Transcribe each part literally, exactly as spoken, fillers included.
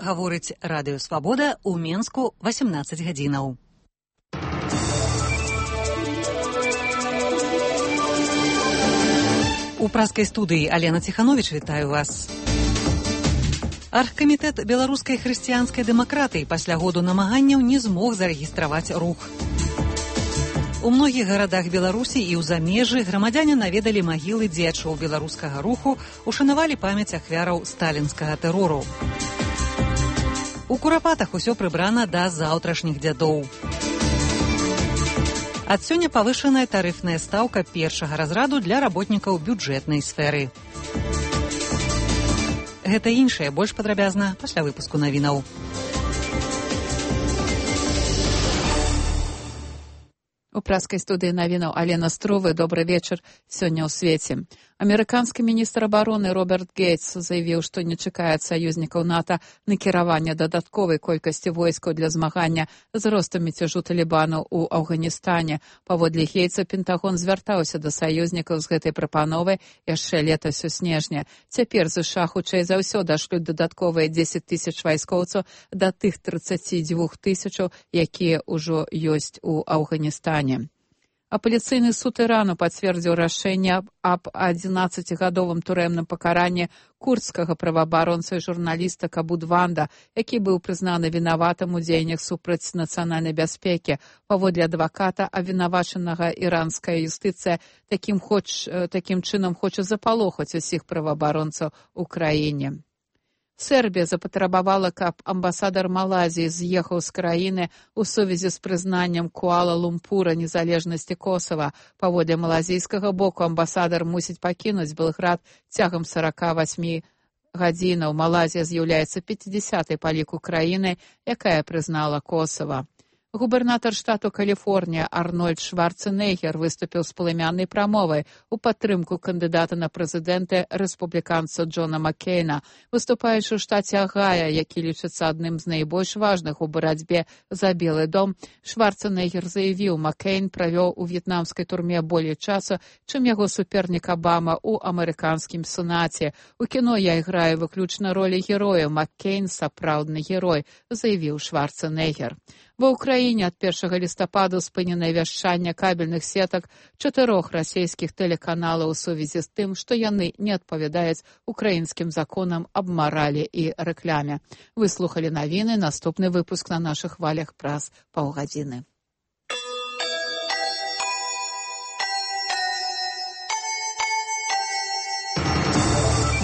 гаворыць Радыё Свабода ў Менску васемнаццаць гадзінаў. У праскай студыі Алена Ціхановіч, вітаю вас. Аргкамітэт беларускай хрысціянскай дэмакратыі пасля году намаганняў не змог зарэгістраваць рух. У многіх гарадах Беларусі і ў замежжы грамадзяне наведалі магілы дзеячоў беларускага руху, ушанавалі памяць ахвяраў сталінскага тэрору. У Курапатах усё прыбрана да заўтрашніх дзядоў. Ад сёння павышаная тарыфная стаўка першага разраду для работнікаў бюджэтнай сферы. Гэта іншае больш падрабязна пасля выпуску навінаў. У праскай студыі навінаў Алена Струвы. Добры вечар. Сёння ў свеце. Амерыканскі міністр абароны Роберт Гейтс заявіў, што не чакае ад саюзнікаў НАТО накіравання дадатковай колькасці войскаў для змагання з ростам мяцяжу талібанаў у Афганістане. Паводле Гейтса, Пентагон звяртаўся да саюзнікаў з гэтай прапановай яшчэ летась у снежні. Цяпер ЗША хутчэй за ўсё дашлюць дадатковыя дзесяць тысяч вайскоўцаў да тых трыццаці дзвюх тысячаў, якія ўжо ёсць у Афганістане. Апеляцыйны суд Ірану пацвердзіў рашэнне аб адзінаццацігадовым турэмным пакаранні курдскага праваабаронца і журналіста Кабудванда, які быў прызнаны вінаватым у дзеяннях супраць нацыянальнай бяспекі. Паводле адваката абвінавачанага іранская юстыцыя такім, хоч, такім чынам хоча запалохаць усіх праваабаронцаў у краіне. Сербія запатрабавала, каб амбасадар Малайзіі з'ехаў з краіны ў сувязі з прызнаннем Куала-Лумпура незалежнасці Косава. Паводле малазійскага боку амбасадар мусіць пакінуць Белград цягам сорока восьмі гадзінаў. Малайзія з'яўляецца пяцідзясятай па ліку краінай, якая прызнала Косава. Губернатар штату Каліфорнія Арнольд Шварценеггер выступіў з палымяннай прамовай у падтрымку кандыдата на прэзідэнта рэспубліканца Джона Маккейна. Выступаючы ў штаце Агая, які лічыцца адным з найбольш важных у барацьбе за Белы дом, Шварценеггер заявіў, Маккейн правёў у в'етнамскай турме болей часу, чым яго супернік Абама ў амерыканскім сенаце. У кіно я іграю выключна ролі героя, Маккейн сапраўдны герой, заявіў Шварценеггер. Ва ўкраіне ад першага лістападу спыненае вяшчанне кабельных сетак чатырох расійскіх тэлеканалаў у сувязі з тым, што яны не адпавядаюць украінскім законам аб маралі і рэкляме. Вы слухалі навіны, наступны выпуск на нашых хвалях праз паўгадзіны.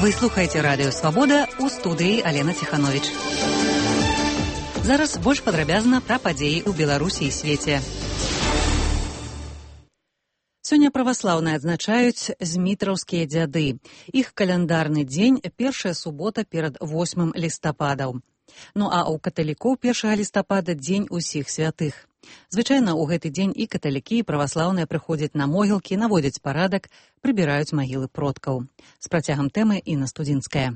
Вы слухаеце Радыё Свабода, у студыі Алена Ціхановіч. Зараз больш падрабязна пра падзеі ў Беларусі і свеце. Сёння праваслаўныя адзначаюць змітраўскія дзяды. Іх каляндарны дзень – першая субота перад восьмым лістападаў. Ну а ў каталікоў першага лістапада дзень усіх святых. Звычайна ў гэты дзень і каталікі, і праваслаўныя прыходзяць на могілкі, наводзяць парадак, прыбіраюць магілы продкаў. З працягам тэмы Інна Студзінская.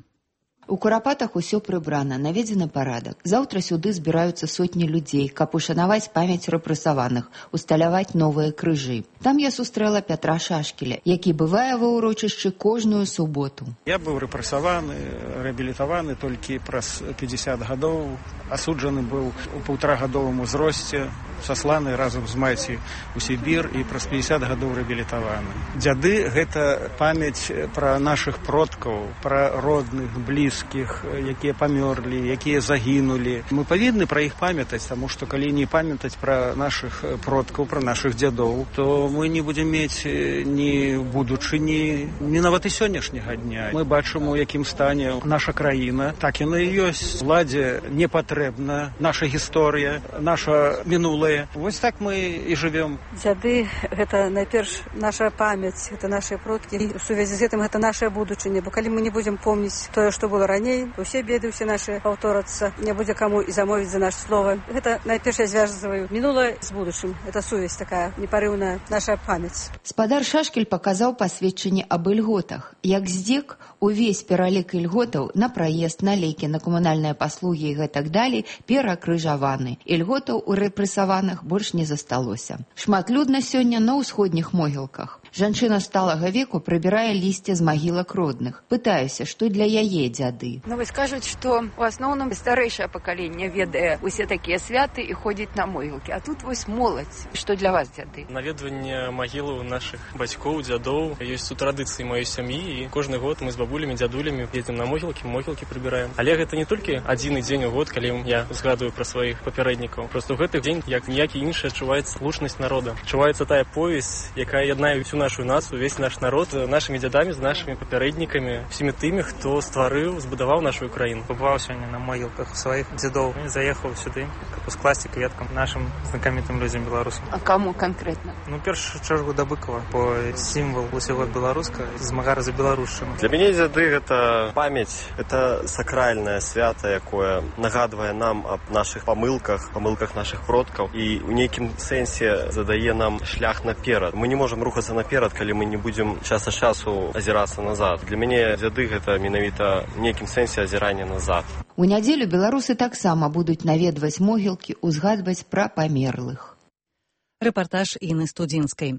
У Курапатах усё прыбрана, наведзены парадак. Заўтра сюды збіраюцца сотні людзей, каб ушанаваць памяць рэпрэсаваных, усталяваць новыя крыжы. Там я сустрэла Пятра Шашкеля, які бывае ва ўрочышчы кожную суботу. Я быў рэпрэсаваны, рэабілітаваны толькі праз пятьдесят гадоў. Асуджаны быў у паўтарагадовым узросце, сасланы разам з маці у Сібір і праз пятьдесят гадоў рэабілітаваны. Дзяды – гэта памяць пра нашых продкаў, пра родных, блізкіх, якія памёрлі, якія загінулі. Мы павінны пра іх памятаць, таму што калі не памятаць пра нашых продкаў, пра нашых дзядоў, то мы не будзем мець ні будучыні, ні нават і сённяшняга дня. Мы бачым, у якім стане наша краіна. Так яна і ёсць. Уладзе не патрэбна наша гісторыя, наша мінулае. Вось так мы і жывём. Дзяды – гэта найперш наша памяць, гэта нашыя продкі. І ў сувязі з гэтым гэта наша будучыня. Бо калі мы не будзем помніць тое, што было раней, усе беды, усе нашы паўторацца, не будзе каму і замовіць за наше слово. Гэта найперш я звязваю мінулае з будучым. Это сувязь такая непарыўная, наша памяць. Спадар Шашкель паказаў пасведчанне аб ільготах. Як здзек, увесь пералік ільготаў на праезд, на лекі, на камунальныя паслугі і гэтак далей перакрыжаваны. Ільготаў у рэпрэсаваных пахаваных больш не засталося. Шматлюдна сёння на ўсходніх могілках. Жанчына сталага веку прыбірае лісце з магілак родных. Пытаюся, што для яе дзяды. Ну, вось кажуць, што ў асноўным старэйшае пакаленне ведае усе такія святы і ходзіць на могілкі. А тут вось моладзь. Што для вас дзяды? Наведванне магілаў нашых бацькоў, дзядоў. Ёсць тут традыцыі маёй сям'і, і кожны год мы з бабулямі, дзядулямі едзем на могілкі, могілкі прыбіраем. Але гэта не толькі адзіны дзень у год, калі я згадую пра сваіх папярэднікаў. Просто ў гэты дзень, як ніякі іншы, адчуваецца слушнасць народа. Адчуваецца тая повязь, якая яднае всю нашу нацыю, весь наш народ з нашымі дзядамі, з нашымі папярэднікамі, всімі тымі, хто стварыў, збудаваў нашу краіну. Побывал сегодня на могилках своих дедов и заехал сюда, как скласти кветкам нашим знакомитым людям белорусам. А кому конкретно? Ну, в первую чергу до Быкова, по символ усего белоруска, змагара за белорусшим. Для мяне дзяды гэта памяць, это сакральнае свята, якое нагадвае нам аб нашых памылках, памылках наших продкаў і ў нейкім сэнсе задае нам шлях наперад. Мы не можам рухацца наперад, калі мы не будзем час ад часу азірацца назад. Для мяне дзяды гэта менавіта ў нейкім сэнсе азірання назад. У нядзелю беларусы таксама будуць наведваць могілкі, узгадваць пра памерлых. Рэпартаж Інны Студзінскай.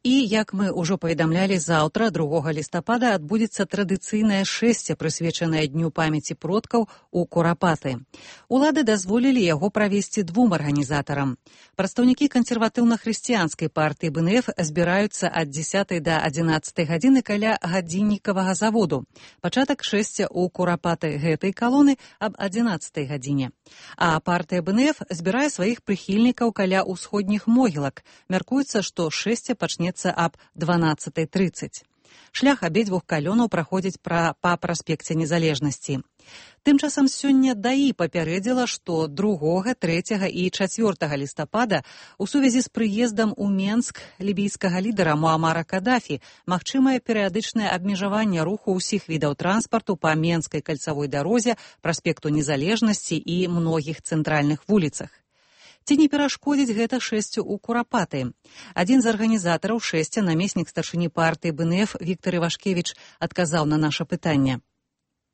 І, як мы ўжо паведамлялі, заўтра, другога лістапада, адбудзецца традыцыйнае шэсце, прысвечанае Дню памяці продкаў у Курапаты. Улады дазволілі яго правесці двум арганізатарам. Прадстаўнікі кансерватыўна-хрысціянскай партыі бэ эн эф збіраюцца ад дзесятай да адзінаццатай гадзіны каля гадзіннікавага заводу. Пачатак шэсця ў Курапаты гэтай калоны аб адзінаццатай гадзіне. А партыя бэ эн эф збірае сваіх прыхільнікаў каля ўсходніх могілак. Мяркуецца, што шэсце пачнецца аб дванаццатай трыццаць. Шлях абедзвюх калёнаў праходзіць пра, па праспекце Незалежнасці. Тым часам сёння ДАІ папярэдзіла, што другога, трэцяга і чацвёртага лістапада у сувязі з прыездам у Менск лібійскага лідара Муамара Кадафі магчымае перыядычнае абмежаванне руху ўсіх відаў транспарту па Менскай кальцавой дарозе, праспекту Незалежнасці і многіх цэнтральных вуліцах. Ці не перашкодзіць гэта шэсцю ў Курапаты? Адзін з арганізатараў шэсця, намеснік старшыні партыі бэ эн эф Віктор Івашкевіч, адказаў на наша пытанне.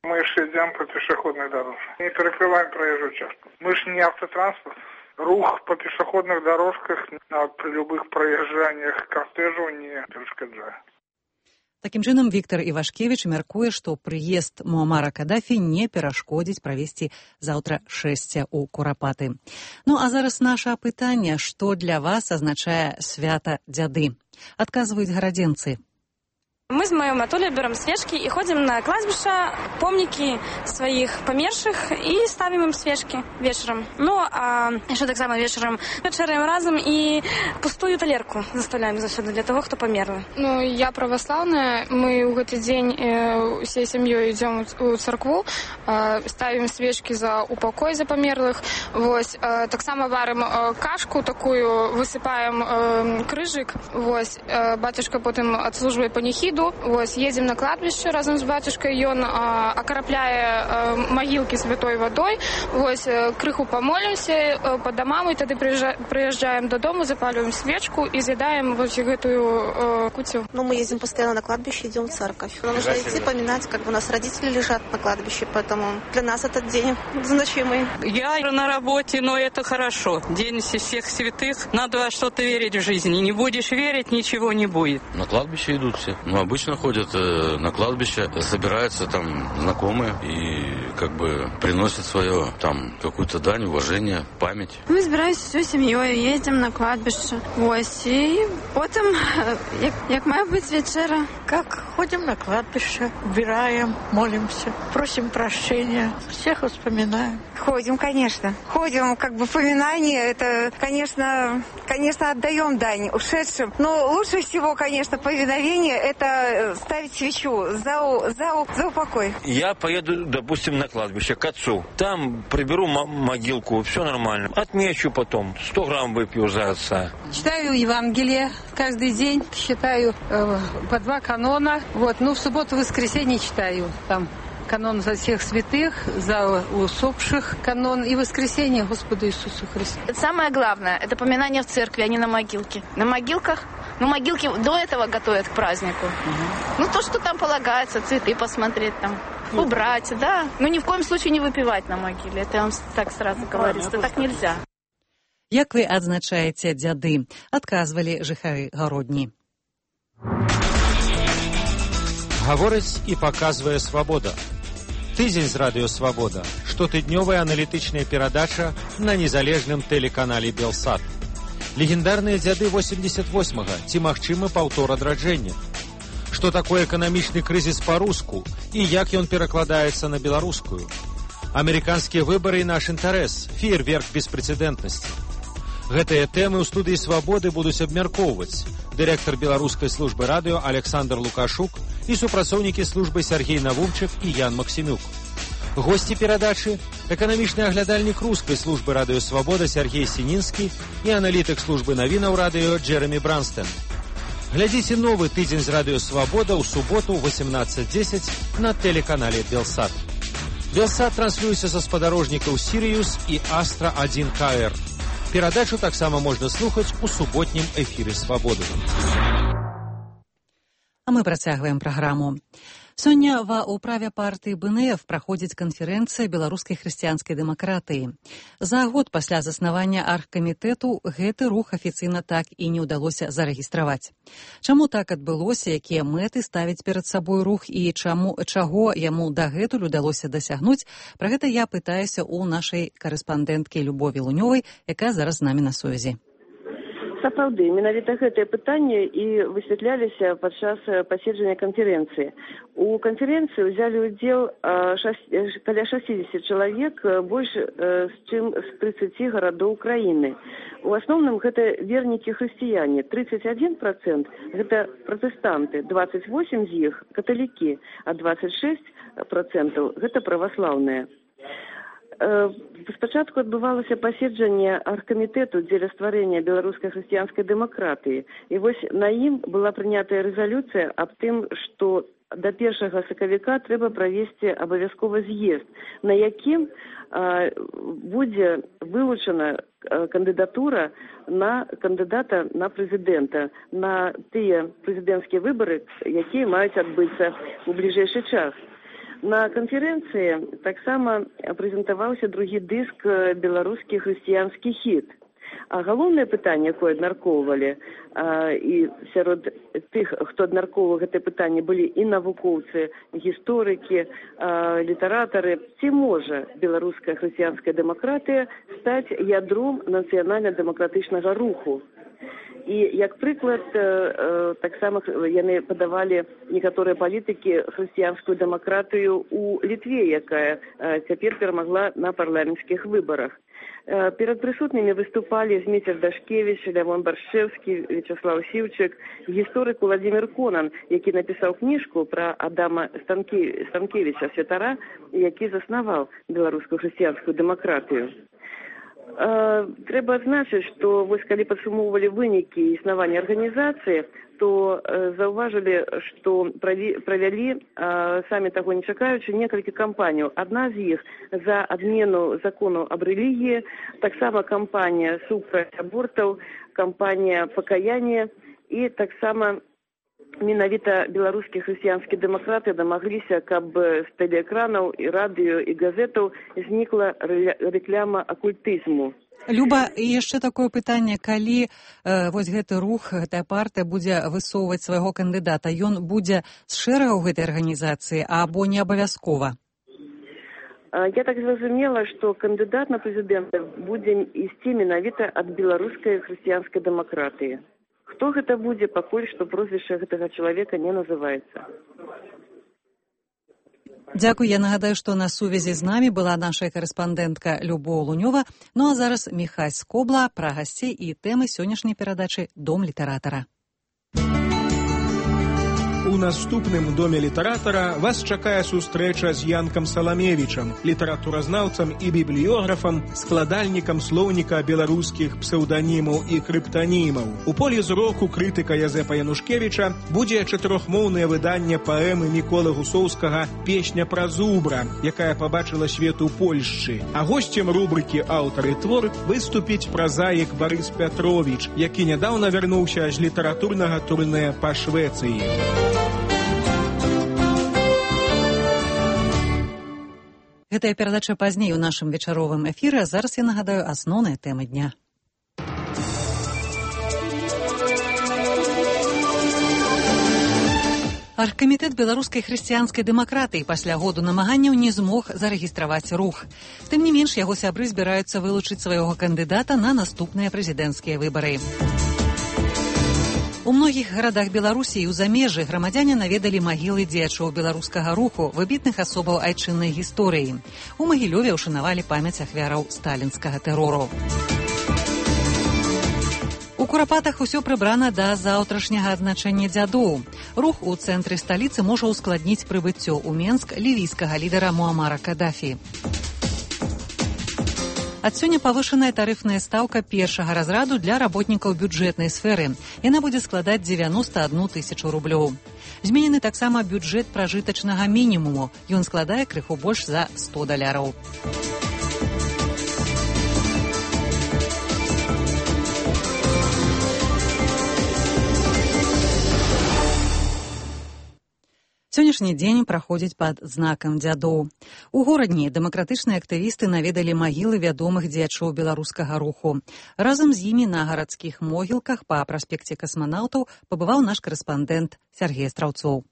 Мы ж идем по пешеходной дороге, не перекрываем проезжую часть. Мы же не автотранспорт. Рух по пешеходных дорожках на, при любых проезжаниях кортежу не перешкоджает. Такім чынам, Віктор Івашкевіч мяркуе, што прыезд Муамара Кадафі не перашкодзіць правесці заўтра шэсце ў Курапаты. Ну, а зараз наша пытанне, што для вас азначае свята дзяды? Адказваюць гарадзенцы. Мы с моим Анатолием берем свечки и ходим на кладбище, помники своих померших и ставим им свечки вечером. Ну, а еще так само вечером вечером разом и пустую талерку заставляем засюда для того, кто померли. Ну, я православная. Мы в этот день э, всей семьей идем в церкву, э, ставим свечки за упокой за померлых. Вот, э, так само варим э, кашку такую, высыпаем э, крыжик. Вот, э, батюшка потом отслуживает панихиду. Ось, едем на кладбище разом с батюшкой, и он а, окропляя а, могилки святой водой. Ось, крыху помолимся а, по домам, и тогда приезжаем до дома, запаливаем свечку и съедаем вот эту а, кутю. Ну, мы ездим постоянно на кладбище, идем в церковь. Нам нужно идти поминать, как бы у нас родители лежат на кладбище, поэтому для нас этот день значимый. Я на работе, но это хорошо. День всех святых, надо во что-то верить в жизни. Не будешь верить, ничего не будет. На кладбище идут все. Ну, обычно ходят э, на кладбище, собираются там знакомые и как бы приносят свое там какую-то дань, уважение, память. Мы збираемся всей семьей, едем на кладбище. Ось, и потом, як, як має бути вечера. Как ходим на кладбище, убираем, молимся, просим прощения, всех вспоминаем. Ходим, конечно. Ходим, как бы поминание, это, конечно, конечно, отдаем дань ушедшим. Но лучше всего, конечно, повиновение, это ставить свечу за, за, за упокой. Я поеду, допустим, на кладбище к отцу. Там приберу могилку, все нормально. Отмечу потом, сто грамм выпью за отца. Читаю Евангелие каждый день, считаю э, по два канона. Вот, ну, в субботу, воскресенье читаю там. Канон за всех святых, за усопших канон и воскресение Господу Иисусу Христу. Самое главное, это поминание в церкви, а не на могилке. На могилках, ну, могилки до этого готовят к празднику. Угу. Ну, то, что там полагается, цветы посмотреть там, убрать, да. Но ни в коем случае не выпивать на могиле. Это я вам так сразу говорю, что так нельзя. Як вы адзначаеце дзяды? Адказвалі жыхары Гародні. Гаворыць і паказвае свабода. Тыдзень з радыё «Свабода». Штотыднёвая аналітычная перадача на незалежным тэлеканале «Белсат». Легендарныя дзяды восемьдесят восьмага. Ці магчымы паўтор адраджэння? Што такое эканамічны крызіс па-руску і як ён перакладаецца на беларускую? Амерыканскія выбары і наш інтарэс. Феерверк беспрэцэдэнтнасці. Гэтыя тэмы ў студыі «Свабоды» будуць абмяркоўваць дырэктар беларускай службы радыё Александр Лукашук і супрацоўнікі службы Сергей Навумчык і Ян Максімюк. Госці перадачы – эканамічны аглядальнік рускай службы радыё «Свабода» Сергей Сінінскі і аналітык службы навінаў радыё Джеремі Бранстен. Глядзіце новы тыдзень з радыё «Свабода» ў суботу ў восемнадцать десять на тэлеканале «Белсат». «Белсат» транслюецца са спадарожнікаў «Сірыюс» і «Астра один ка эр». Перадачу таксама можна слухаць у суботнім эфіры «Свабоды». А мы працягваем праграму. Сёння ва ўправе партыі бэ эн эф праходзіць канферэнцыя беларускай хрысціянскай дэмакратыі. За год пасля заснавання аргкамітэту гэты рух афіцыйна так і не ўдалося зарэгістраваць. Чаму так адбылося, якія мэты ставіць перад сабой рух і чаму, чаго яму дагэтуль удалося дасягнуць, пра гэта я пытаюся ў нашай карэспандэнткі Любові Лунёвай, якая зараз з намі на сувязі. Сапраўды, менавіта гэтае пытанне і высвятляліся падчас паседжання канферэнцыі. У канферэнцыі ўзялі ўдзел каля шэсцьдзесят чалавек, больш чым з трыццаці гарадоў краіны. У асноўным гэта вернікі хрысціяне, тридцать один процент гэта пратэстанты, двадцать восемь з іх каталікі, а двадцать шесть процентаў гэта праваслаўныя. Спачатку адбывалася паседжанне аргкамітэту дзеля стварэння беларускай хрысціянскай дэмакратыі. І вось на ім была прынятая рэзалюцыя аб тым, што да першага сакавіка трэба правесці абавязкова з'езд, на якім а, будзе вылучана кандыдатура на кандыдата на прэзідэнта, на тыя прэзідэнцкія выбары, якія маюць адбыцца ў бліжэйшы час. На канферэнцыі таксама прэзентаваўся другі дыск «Беларускі хрысціянскі хіт». А галоўнае пытанне, якое абмяркоўвалі, і сярод тых, хто абмяркоўваў гэтае пытанне, былі і навукоўцы, гісторыкі, літаратары, ці можа беларуская хрысціянская дэмакратыя стаць ядром нацыянальна-дэмакратычнага руху. І як прыклад, таксама яны падавалі некаторыя палітыкі хрысціянскую дэмакратыю ў Літве, якая цяпер перамагла на парламенцкіх выбарах. Перад прысутнымі выступалі Зміцер Дашкевіч, Лявон Баршчэўскі, Вячаслаў Сіўчык, гісторык Уладзімір Конан, які напісаў кніжку пра Адама Станкевіча, святара, які заснаваў беларускую хрысціянскую дэмакратыю. Трэба адзначыць, што вось калі падсумоўвалі вынікі існавання арганізацыі, то заўважылі, што правялі, самі таго не чакаючы, некалькі кампаній. Адна з іх за адмену закону аб рэлігіі, таксама кампанія супраць абортаў, кампанія пакаяння і таксама менавіта беларускія хрысціянскія дэмакраты дамагліся, каб з тэлеэкранаў і радыё і газетаў знікла рэкляма акультызму. Люба, і яшчэ такое пытанне, калі э, вось гэты рух, гэтая партыя будзе высоўваць свайго кандыдата, ён будзе з шэрагаў гэтай арганізацыі, або не абавязкова? Я так зразумела, што кандыдат на прэзідэнта будзе ісці менавіта ад беларускай хрысціянскай дэмакратыі. Хто гэта будзе, пакуль што прозвішча гэтага чалавека не называецца. Дзякуй, я нагадаю, што на сувязі з намі была наша карэспандэнтка Любоў Лунёва. Ну а зараз Міхась Скобла пра гасцей і тэмы сённяшняй перадачы «Дом літаратара». У наступным доме літаратара вас чакае сустрэча з Янкам Саламевічам, літаратуразнаўцам і бібліёграфам, складальнікам слоўніка беларускіх псеўданімаў і крыптанімаў. У полі зроку крытыка Язэпа Янушкевіча будзе чатырохмоўнае выданне паэмы Міколы Гусоўскага «Песня пра зубра», якая пабачыла свет у Польшчы. А госцем рубрыкі «Аўтар і твор» выступіць празаік Барыс Пятровіч, які нядаўна вярнуўся з літаратурнага турнэ па Швецыі. Гэтая перадача пазней у нашым вечаровым эфіры, а зараз я нагадаю асноўныя тэмы дня. Аргкамітэт беларускай хрысціянскай дэмакратыі пасля году намаганняў не змог зарэгістраваць рух. Тым не менш, яго сябры збіраюцца вылучыць свайго кандыдата на наступныя прэзідэнцкія выбары. У многіх гарадах Беларусі і ў замежжы грамадзяне наведалі магілы дзеячоў беларускага руху, выбітных асобаў айчыннай гісторыі. У Магілёве ўшанавалі памяць ахвяраў сталінскага тэрору. У Курапатах усё прыбрана да заўтрашняга адзначэння дзядоў. Рух у цэнтры сталіцы можа ускладніць прыбыццё ў Менск лівійскага лідара Муамара Кадафі. Ад сёння павышаная тарыфная стаўка першага разраду для работнікаў бюджэтнай сферы. Яна будзе складаць дзевяноста адну тысячу рублёў. Зменены таксама бюджэт пражытачнага мінімуму. Ён складае крыху больш за сто даляраў. Сённяшні дзень праходзіць пад знакам дзядоў. У горадні дэмакратычныя актывісты наведалі магілы вядомых дзеячоў беларускага руху. Разам з імі на гарадскіх могілках па праспекце касманаўтаў пабываў наш карэспандэнт Сергей Страўцоў.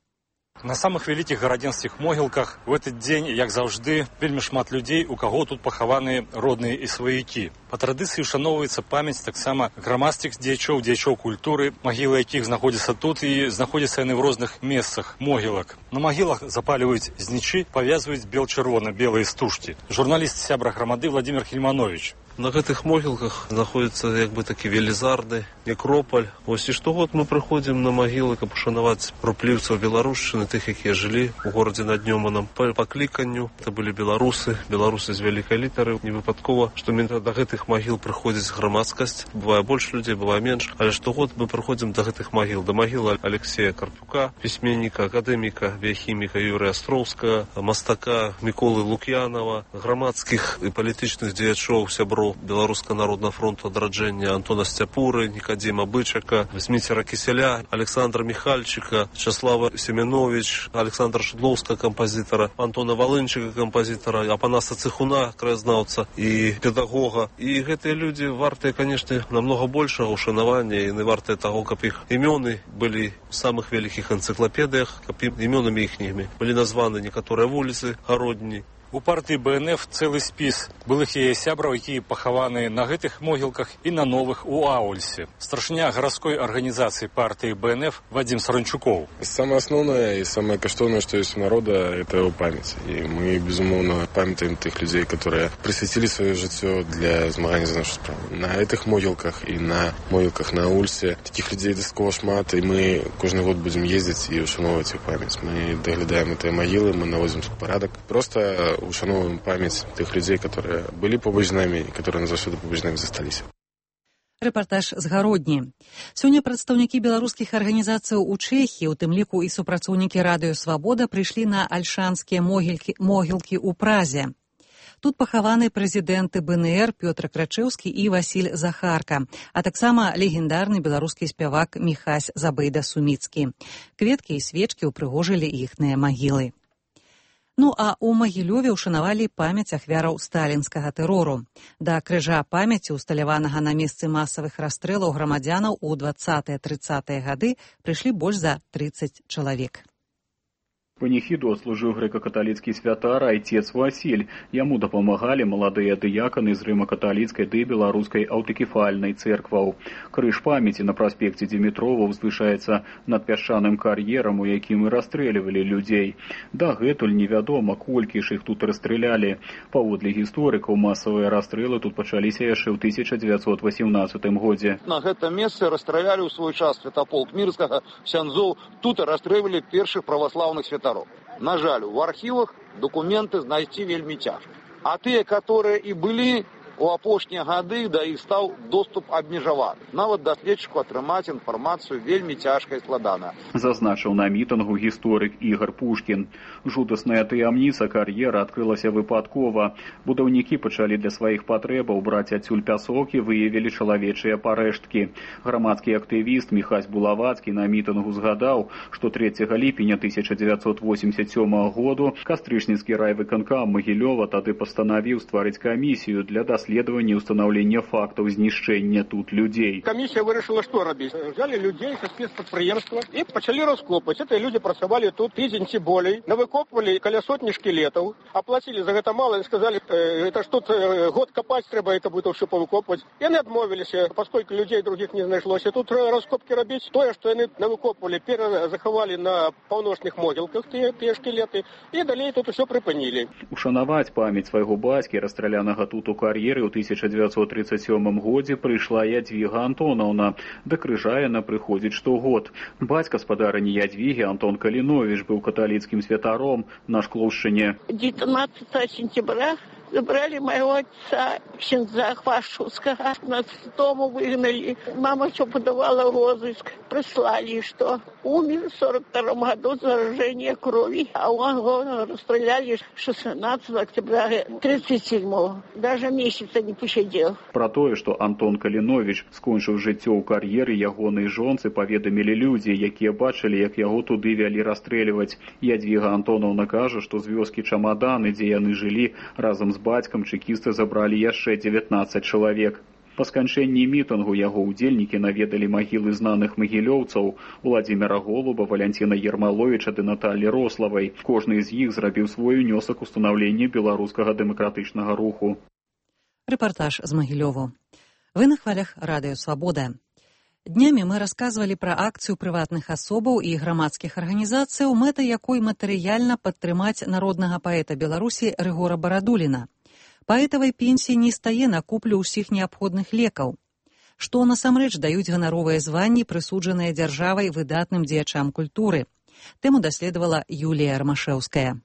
На самых вялікіх гарадзенскіх могілках у этот дзень, як заўжды, вельмі шмат людзей, у каго тут пахаваныя родныя і сваякі. Па традыцыі ушаноўваецца памяць таксама грамадскіх дзеячоў, дзеячоў культуры, магілы якіх знаходзяцца тут і знаходзяцца яны ў розных месцах могілак. На магілах запаліваюць знічы, павязваюць бел-чырвона-белыя стужкі. Журналіст сябра грамады Владимир Хельманович. На гэтых могілках знаходзіцца як бы такі велізарны некропаль. Вось і штогод мы прыходзім на магілы, каб ушанаваць рупліўцаў беларушчыны, тых, якія жылі ў горадзе над Нёманам. Па пакліканню это былі беларусы, беларусы з вялікай літары. Не выпадкова, што менавіта да гэтых магіл прыходзіць грамадскасць. Бывае больш людзей, бывае менш, але штогод мы прыходзім да гэтых магіл. Да магілы Алексея Карпюка, пісьменніка, акадэміка, біяхіміка Юрыя Астроўскага, мастака Міколы Лук'янова, грамадскіх і палітычных дзеячоў, сяброў Беларускага народнага фронту адраджэння Антона Сцяпуры, Никодима Бычака, Зміцера Кіселя, Александра Михальчика, Часлава Семенович, Александра Шыдлоўскага кампазітара, Антона Валынчыка кампазітара, Апанаса Цыхуна, краязнаўца і педагога. І гэтыя людзі вартыя, канешне, намного большага ушанавання і не вартыя таго, каб іх імёны былі ў самых вялікіх энцыклапедыях, каб імёнамі іхнімі былі названы некаторыя вуліцы гародні. У партыі Бэ Эн Эф цэлы спіс былых яе сябраў, якія пахаваны на гэтых могілках і на новых у Аульсе. Старшыня гарадской арганізацыі партыі Бэ Эн Эф Вадим Саранчуков. Самое основное и самое каштоўнае, что есть у народа, это его память. И мы, безумоўно, памятаем тех людей, которые присвятили свое жыццё для змагання за нашу справу. На этих могілках и на могілках на Аульсе таких людей дастаткова шмат, и мы кожны год будем ездить и ушановывать их память. Мы доглядаем эти могилы, мы наводим порядок. Просто ушановываем память тех людей, которые были побач з нами и которые назаўсёды побач з нами засталіся. Рэпартаж з гародні. Сёння прадстаўнікі беларускіх арганізацыяў у Чэхіі, у тым ліку і супрацоўнікі радыё «Свабода», прыйшлі на альшанскія могілкі, могілкі ў Празе. Тут пахаваны прэзідэнты Бэ Эн Эр Пётр Крачэўскі і Васіль Захарка, а таксама легендарны беларускі спявак Міхась Забайда-Суміцкі. Кветкі і свечкі ўпрыгожылі іхныя магілы. Ну а ў Магілёве ўшанавалі памяць ахвяраў сталінскага тэрору. Да крыжа памяці, усталяванага на месцы масавых расстрэлаў грамадзянаў у дваццатыя-трыццатыя гады, прыйшлі больш за трыццаць чалавек. Паніхіду адслужыў грэка-каталіцкі святар айцец Васіль. Яму дапамагалі маладыя дыяканы з рыма-каталіцкай ды беларускай аўтакефальнай цэркваў. Крыж памяці на праспекце Дзімітрова ўзвышаецца над пясчаным кар'ерам, у якім і расстрэльвалі людзей. Дагэтуль невядома, колькі ж іх тут расстралялі. Паводле гісторыкаў, масавыя расстрэлы тут пачаліся яшчэ ў тысяча дзевяцьсот васемнаццатым годзе. На гэтым месцы расстралялі ў свой час святаполк Мірскага, ксяндзоў. Тут расстрэльвалі першых праваслаўных святароў. На жаль, у архівах документы знайсці вельмі цяжка. А тыя, которые і былі у апошнія гады, да іх стаў доступ абмежаваны. Нават даследчыку атрымаць інфармацыю вельмі цяжка і складана. Зазначыў на мітынгу гісторык Ігор Пушкін. Жудасная таямніца кар'ера адкрылася выпадкова. Будаўнікі пачалі для сваіх патрэбаў браць адсюль пясок і выявілі чалавечыя парэшткі. Грамадскі актывіст Міхась Булавацкі на мітынгу згадаў, што трэцяга ліпеня тысяча дзевяцьсот восемьдесят сёмага году кастрычніцкі райвыканкам Магілёва тады пастанавіў стварыць камісію для даследавання расследавання і ўстанаўлення фактаў знішчэння тут людзей. Камісія вырашыла, што рабіць. Взяли людей са спецпрадпрыемства і пачалі раскопаць. Эти люди працавалі тут тыдзень ці болей, навыкопвалі каля сотні шкілетаў, аплацілі за гэта мала і сказалі, это ж тут год капаць трэба, это будет ўсё павыкопваць. Яны адмовіліся, паскольку людзей других не знайшлося. Тут раскопкі рабіць. Тое, што яны навыкопвалі, перазахавалі на паўночных могілках тыя, тыя шкілеты, і далей тут усё прыпынілі. Ушанаваць памяць свайго бацькі, расстралянага тут у кар'еры ў тысяча дзевяцьсот тридцать сёмым годзе, прыйшла Ядвіга Антонаўна. Да крыжа яна прыходзіць штогод. Бацька спадарыні Ядвігі, Антон Каліновіч, быў каталіцкім святаром на Шклоўшчыне. девятнадцатого сентября забрали моего отца, ксенза Хвашускага. Нас с дому выгнали. Мама все подавала розыск. Прислали, что умер в сорок втором году заражение крови. А он его расстреляли шестнадцатого октября тридцать седьмого. Даже месяца не посидел. Про тое, што Антон Каліновіч скончыў жыццё ў кар'еры ягонай жонцы, паведамілі людзі, якія бачылі, як яго туды вялі расстрэльваць. Ядвіга Антонаўна кажа, што з вёскі Чамаданы, дзе яны жылі, разам з бацькам чэкісты забралі яшчэ дзевятнаццаць чалавек. Па сканчэнні мітынгу яго ўдзельнікі наведалі магілы знаных магілёўцаў Уладзіміра Голуба, Валянціна Ермаловіча ды Наталі Рославай. Кожны з іх зрабіў свой унёсак у станаўленне беларускага дэмакратычнага руху. Рэпартаж з Магілёву. Вы на хвалях Радыё Свабода. Днямі мы расказвалі пра акцыю прыватных асобаў і грамадскіх арганізацыяў, мэтай якой матэрыяльна падтрымаць народнага паэта Беларусі Рыгора Барадуліна. Паэтавай пенсіі не стае на куплю ўсіх неабходных лекаў. Што насамрэч даюць ганаровыя званні, прысуджаныя дзяржавай выдатным дзеячам культуры. Тэму даследавала Юлія Рамашэўская.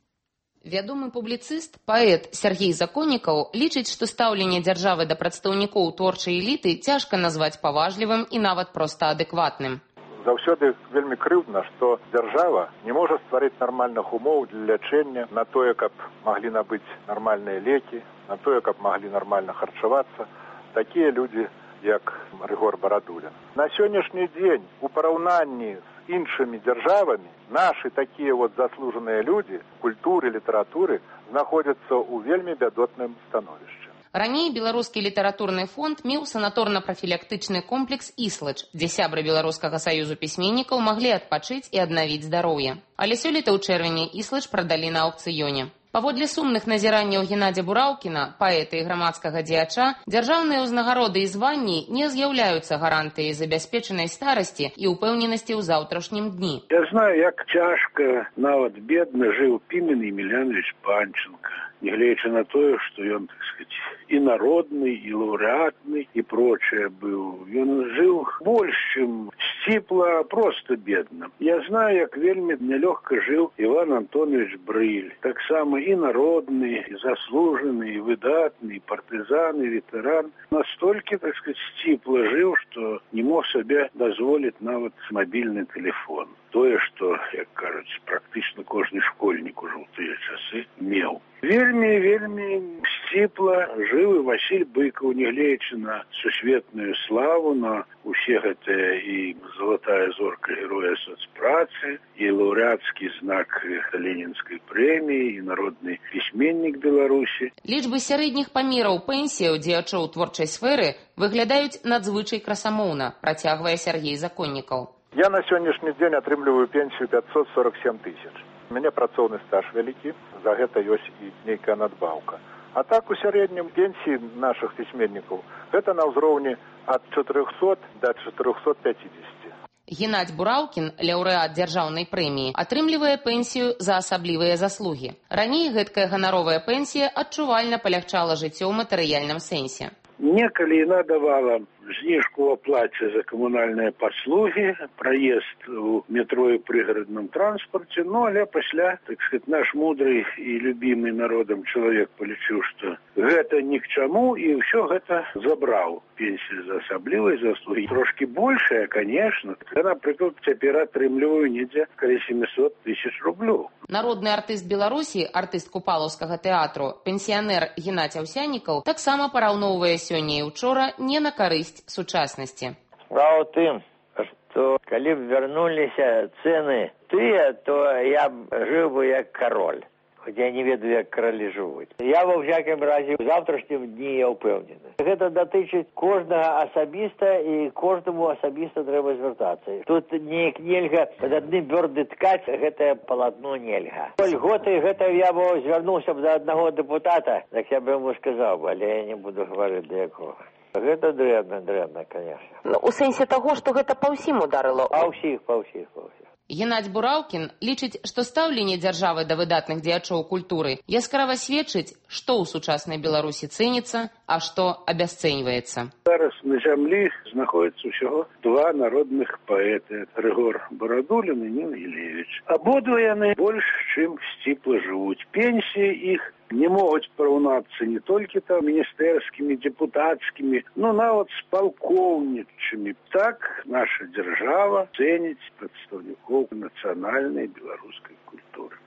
Вядомы публіцыст, паэт Сергей Законнікаў лічыць, што стаўленне дзяржавы да прадстаўнікоў творчай эліты цяжка назваць паважлівым і нават проста адэкватным. Заўсёды вельмі крыўдна, што дзяржава не можа стварыць нармальных умоў для лячэння на тое, каб маглі набыць нармальныя лекі, на тое, каб маглі нармальна харчавацца такія людзі, як Рыгор Барадулін. На сённяшні дзень у параўнанні з іншымі дзяржавамі нашы такія вот заслужаныя людзі культуры, літаратуры знаходзяцца ў вельмі бядотным становішчы. Раней беларускі літаратурны фонд меў санаторна-прафілактычны комплекс «Іслач», дзе сябры Беларускага саюзу пісьменнікаў маглі адпачыць і аднавіць здароўе. Але сёлета ў чэрвені «Іслач» прадалі на аўкцыёне. Паводле сумных назіранняў Геннадзя Бураўкіна, паэта і грамадскага дзеяча, дзяржаўныя ўзнагароды і званні не з'яўляюцца гарантыяй забяспечанай старасці і ўпэўненасці ў заўтрашнім дні. Я знаю, як цяжка, нават бедна жыў Пімен Емельянович Панченко, нягледзячы на тое, што ён, так сказать, і народны, і лаўрэатны, і прочее быў. Ён жыў больш, чым сціпла, проста бедна. Я знаю, як вельмі нялёгка жыў Іван Антонович Брыль. Таксама і народны, і заслужаны, і выдатны, і партызан, і ветэран. Настолькі, так сказать, сціпла жыў, што не мог сабе дазволіць нават мабільны тэлефон. Тое, што, як кажуць, практычна кожны школьнік ужо ў тыя часы меў. Вельмі, вельмі сціпла жыў і Васіль Быкаў, нягледзячы на сусветную славу, на усе гэтыя і залатая зорка героя соцпрацы, і лаўрэацкі знак Ленінскай прэміі, і народны пісьменнік Беларусі. Лічбы сярэдніх памераў пенсіяў дзеячоў творчай сферы выглядаюць надзвычай красамоўна, працягвае Сергей Законнікаў. Я на сённяшні дзень атрымліваю пенсію пятьсот сорок семь тысяч. У мяне працоўны стаж вялікі, за гэта ёсць і нейкая надбаўка. А так у сярэднім пенсіі нашых пісьменнікаў гэта на ўзроўні ад чатырохсот да чатырохсот пяцідзесяці. Геннадзь Бураўкін, лаўрэат дзяржаўнай прэміі, атрымлівае пенсію за асаблівыя заслугі. Раней гэткая ганаровая пенсія адчувальна палягчала жыццё ў матэрыяльным сэнсе. Некалі яна давала знижку в оплате за коммунальные послуги, проезд у метро и пригородном транспорте, ну, але пасля, так сказать, наш мудрый и любимый народом человек полічыў, что гэта ни к чему, и все гэта забрал. Пенсия за асаблівай заслуги. Трошки большая, конечно. Я, например, цяпер атрымліваю недзе каля семьсот тысяч рублёў. Народны артыст Беларусі, артыст Купалаўскага тэатру, пенсіянер Геннадзь Аўсянікаў таксама параўноўвае сёння і учора не на карысць сучаснасці. Справа ў тым, што калі б вярнуліся цэны тыя, то я б жыў бы як кароль. Хотя я не ведаю, як кралі жывуць. Я ва всякім разе ў завтрашнім дні я ўпэўнены. Гэта датычыць кожнага асабіста і кожнаму асабіста трэба звяртацца. Тут неяк нельга пад адным бёрды ткаць, гэтае палатно нельга. Льготы гэта я б звярнуўся б да аднаго депутата, так я б яму сказаў, але я не буду гаварыць да якога. Гэта дрэнна, дрэнна, конечно. Ну, у сэнсе таго, што гэта па ўсім ударыла? Па ўсіх, па ўсіх, па ўсіх. Геннадзь Бураўкін лічыць, што стаўленне дзяржавы да выдатных дзеячоў культуры яскрава сведчыць, што ў сучаснай Беларусі цэніцца, а што абясцэньваецца. Зараз на зямлі знаходзіцца ўсяго два народных паэты, Рыгор Барадулін і Ніна Гілевіч. Абодва яны больш, чым сціпла жывуць. Пенсіі іх не могуць параўнацца не толькі там міністэрскімі, депутацкімі, но нават з палкоўнічымі. Так наша дзяржава цэніць прадстаўнікоў нацыянальнай беларускай культуры.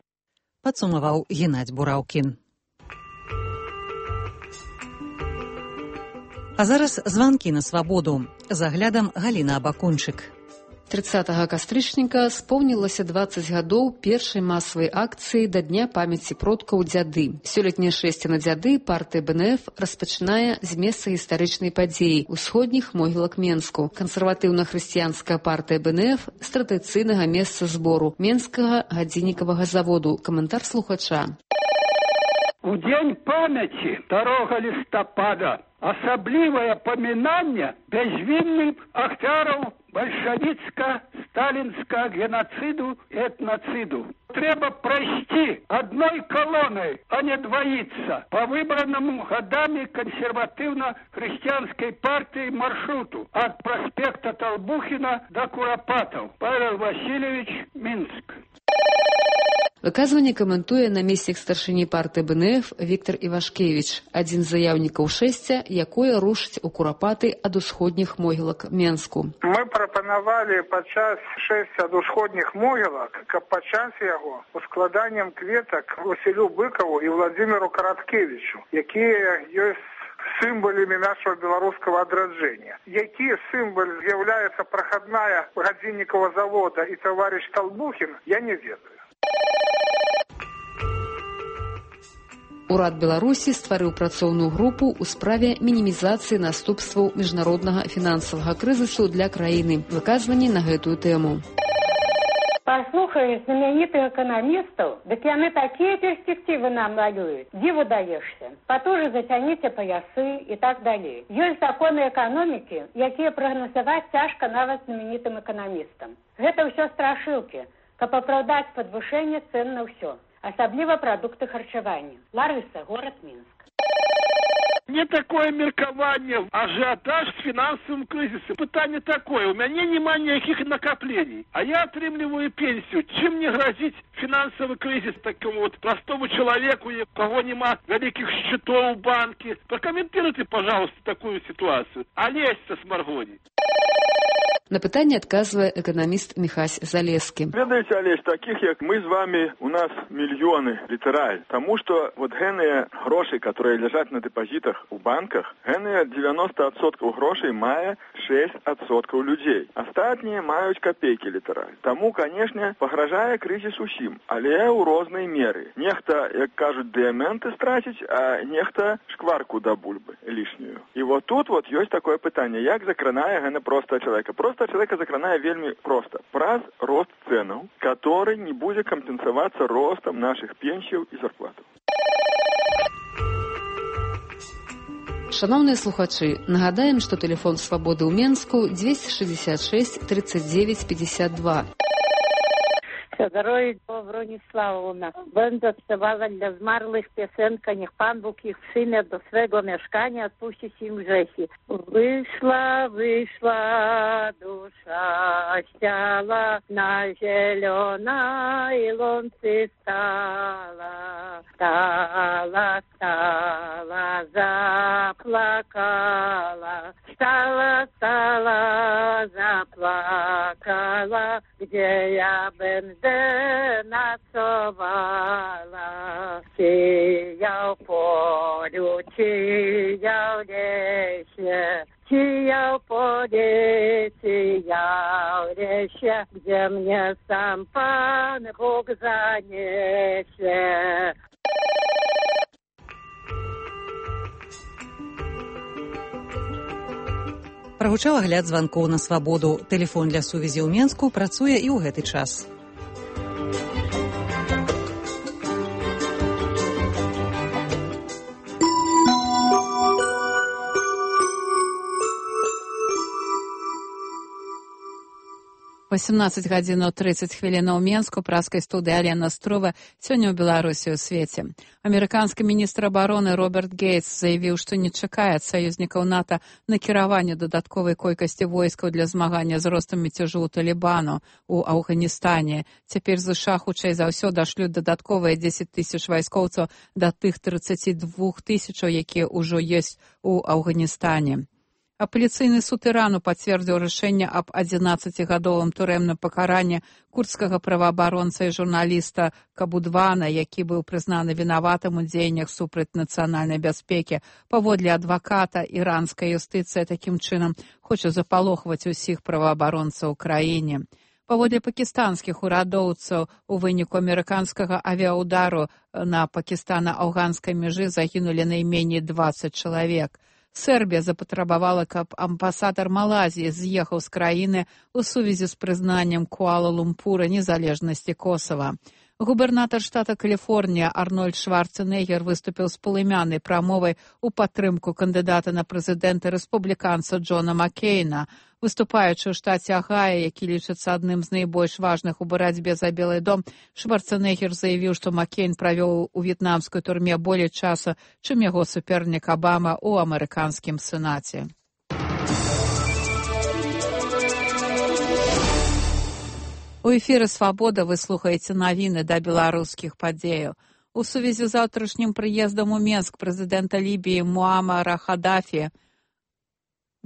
Падсумаваў Геннадзь Бураўкін. А зараз званкі на свабоду. За аглядам Галіна Абакунчык. трыццатага кастрычніка споўнілася дваццаць гадоў першай масавай акцыі да Дня памяці продкаў дзяды. Сёлетняе шэсце на дзяды партыя бэ эн эф распачынае з месца гістарычнай падзеі усходніх могілак Менску. Кансерватыўна-хрысціянская партыя бэ эн эф з традыцыйнага месца збору Менскага гадзіннікавага заводу. Каментар слухача. У дзень памяці второга лістапада асаблівае памінанне бязвінных ахвяраў бальшавіцка-сталінскага геноциду и этноциду. Треба пройти одной колонной, а не двоиться по выбранному годами консервативно-христианской партии маршруту от проспекта Толбухина до Куропатов. Павел Васильевич, Минск. Выказванне каментуе намеснік старшыні партыі бэ эн эф Віктор Івашкевіч, адзін з заяўнікаў шэсця, якое рушыць у Курапаты ад усходніх могілак Менску. Мы прапанавалі падчас шэсця ад усходніх могілак, каб пачаць яго ускладаннем кветак Васілю Быкаву і Владзіміру Караткевічу, якія ёсць сімваламі нашего беларускага адраджэння. Які сімвал з'яўляецца прахадная гадзіннікава завода і таварыш Толбухін, я не ведаю. Урад Беларусі стварыў працоўную групу ў справе мінімізацыі наступстваў міжнароднага фінансавага крызісу для краіны. Выказванні на гэтую тэму. Послухай знаменитых экономистов, так яны такие перспективы нам малюют. Диву даешься. Потуже затяните поясы и так далее. Есть законы экономики, якія прагназаваць цяжка нават знаменитым экономистам. Гэта ўсё страшылкі, каб апраўдаць падвышэнне цен на ўсё. Асабліва прадукты харчавання. Ларыса, город Минск. Не такое меркаванне, ажиотаж с финансовым кризисом. Пытание такое, у меня нема никаких накоплений, а я отрымливаю пенсию. Чем мне грозит финансовый кризис такому вот простому человеку, у кого нема великих счетов в банке? Прокомментируйте, пожалуйста, такую ситуацию. Олесь-то с Маргони. На пытанне адказвае эканаміст Міхась Залескі. Ведаеце, Олесь, таких як мы з вами, у нас мільёны, літараль. Таму што вот гэныя грошы, которые ляжаць на дэпазітах у банках, гэныя девяносто адсоткаў грошай мае шесть адсоткаў людзей. Астатнія маюць капейкі, літараль. Таму, канешне, пагражае крызіс усім, але ў рознай меры. Нехта, як кажуць, дыяменты страціць, а нехта шкварку да бульбы лішнюю. І вот тут вот ёсць такое пытанне, як закранае гэны проста чалавека. Просто человека закранае вельмі просто. Праз рост ценаў, который не будзе кампенсавацца ростам наших пенсіяў і зарплатаў. Шановныя слухачы, нагадаем, што тэлефон свабоды ў Менску двести шестьдесят шесть тридцать девять пятьдесят два. Здоров'я Брониславовна. Będę śpiewała dla zmarłych piosenkę, niech Pan Bóg ich przyjmie do swego mieszkania, odpuści im grzechy. Wyszła, wyszła dusza z ciała, na zielonej łące stala. Stala, stala, zaplakała. Stala, stala, zaplakała. Gdzie ja będę nocowała, sieją w polu, sieją w lesie, sieją w polu, sieją w lesie, gdzie mnie sam Pan Bóg zaniesie. Прагучаў агляд званкоў на свабоду. Тэлефон для сувязі ў Менску працуе і ў гэты час. восемнадцать гадзінаў тридцать хвілінаў Менску, праскай студыі Алена Строва. Сёння ў Беларусі ў свеце. Амерыканскі міністр абароны Роберт Гейтс заявіў, што не чакае ад саюзнікаў НАТО накіравання дадатковай колькасці войскаў для змагання з ростам мяцежу ў Талібану ў Афганістане. Цяпер ЗША хутчэй за ўсё дашлюць дадатковыя дзесяць тысяч вайскоўцаў да тых тридцати двух тысячаў, якія ўжо ёсць у Афганістане. Апеляцыйны суд Ірану пацвердзіў рашэнне аб адзінаццацігадовым турэмным пакаранні курдскага праваабаронца і журналіста Кабудвана, які быў прызнаны вінаватым у дзеяннях супраць нацыянальнай бяспекі. Паводле адваката, іранская юстыцыя такім чынам хоча запалохваць усіх праваабаронцаў у краіне. Паводле пакістанскіх урадоўцаў, у выніку амерыканскага авіаудару на пакістана-афганскай мяжы загінулі найменей дваццаць чалавек. Сербія запатрабавала, каб амбасадар Малайзіі з'ехаў з краіны ў сувязі з прызнаннем Куала-Лумпура незалежнасці Косава. Губернатар штата Каліфорнія Арнольд Шварценеггер выступіў з палымянай прамовай у падтрымку кандыдата на прэзідэнта рэспубліканца Джона Маккейна. Выступаючы ў штаце Агая, які лічыцца адным з найбольш важных у барацьбе за Белы дом, Шварценеггер заявіў, што Маккейн правёў у в'етнамскай турме болей часу, чым яго супернік Абама ў амерыканскім сенаце. У эфіры «Свабода» вы слухаеце навіны да беларускіх падзеяў. У сувязі з заўтрашнім прыездам у Менск прэзідэнта Лібіі Муамара Хадафі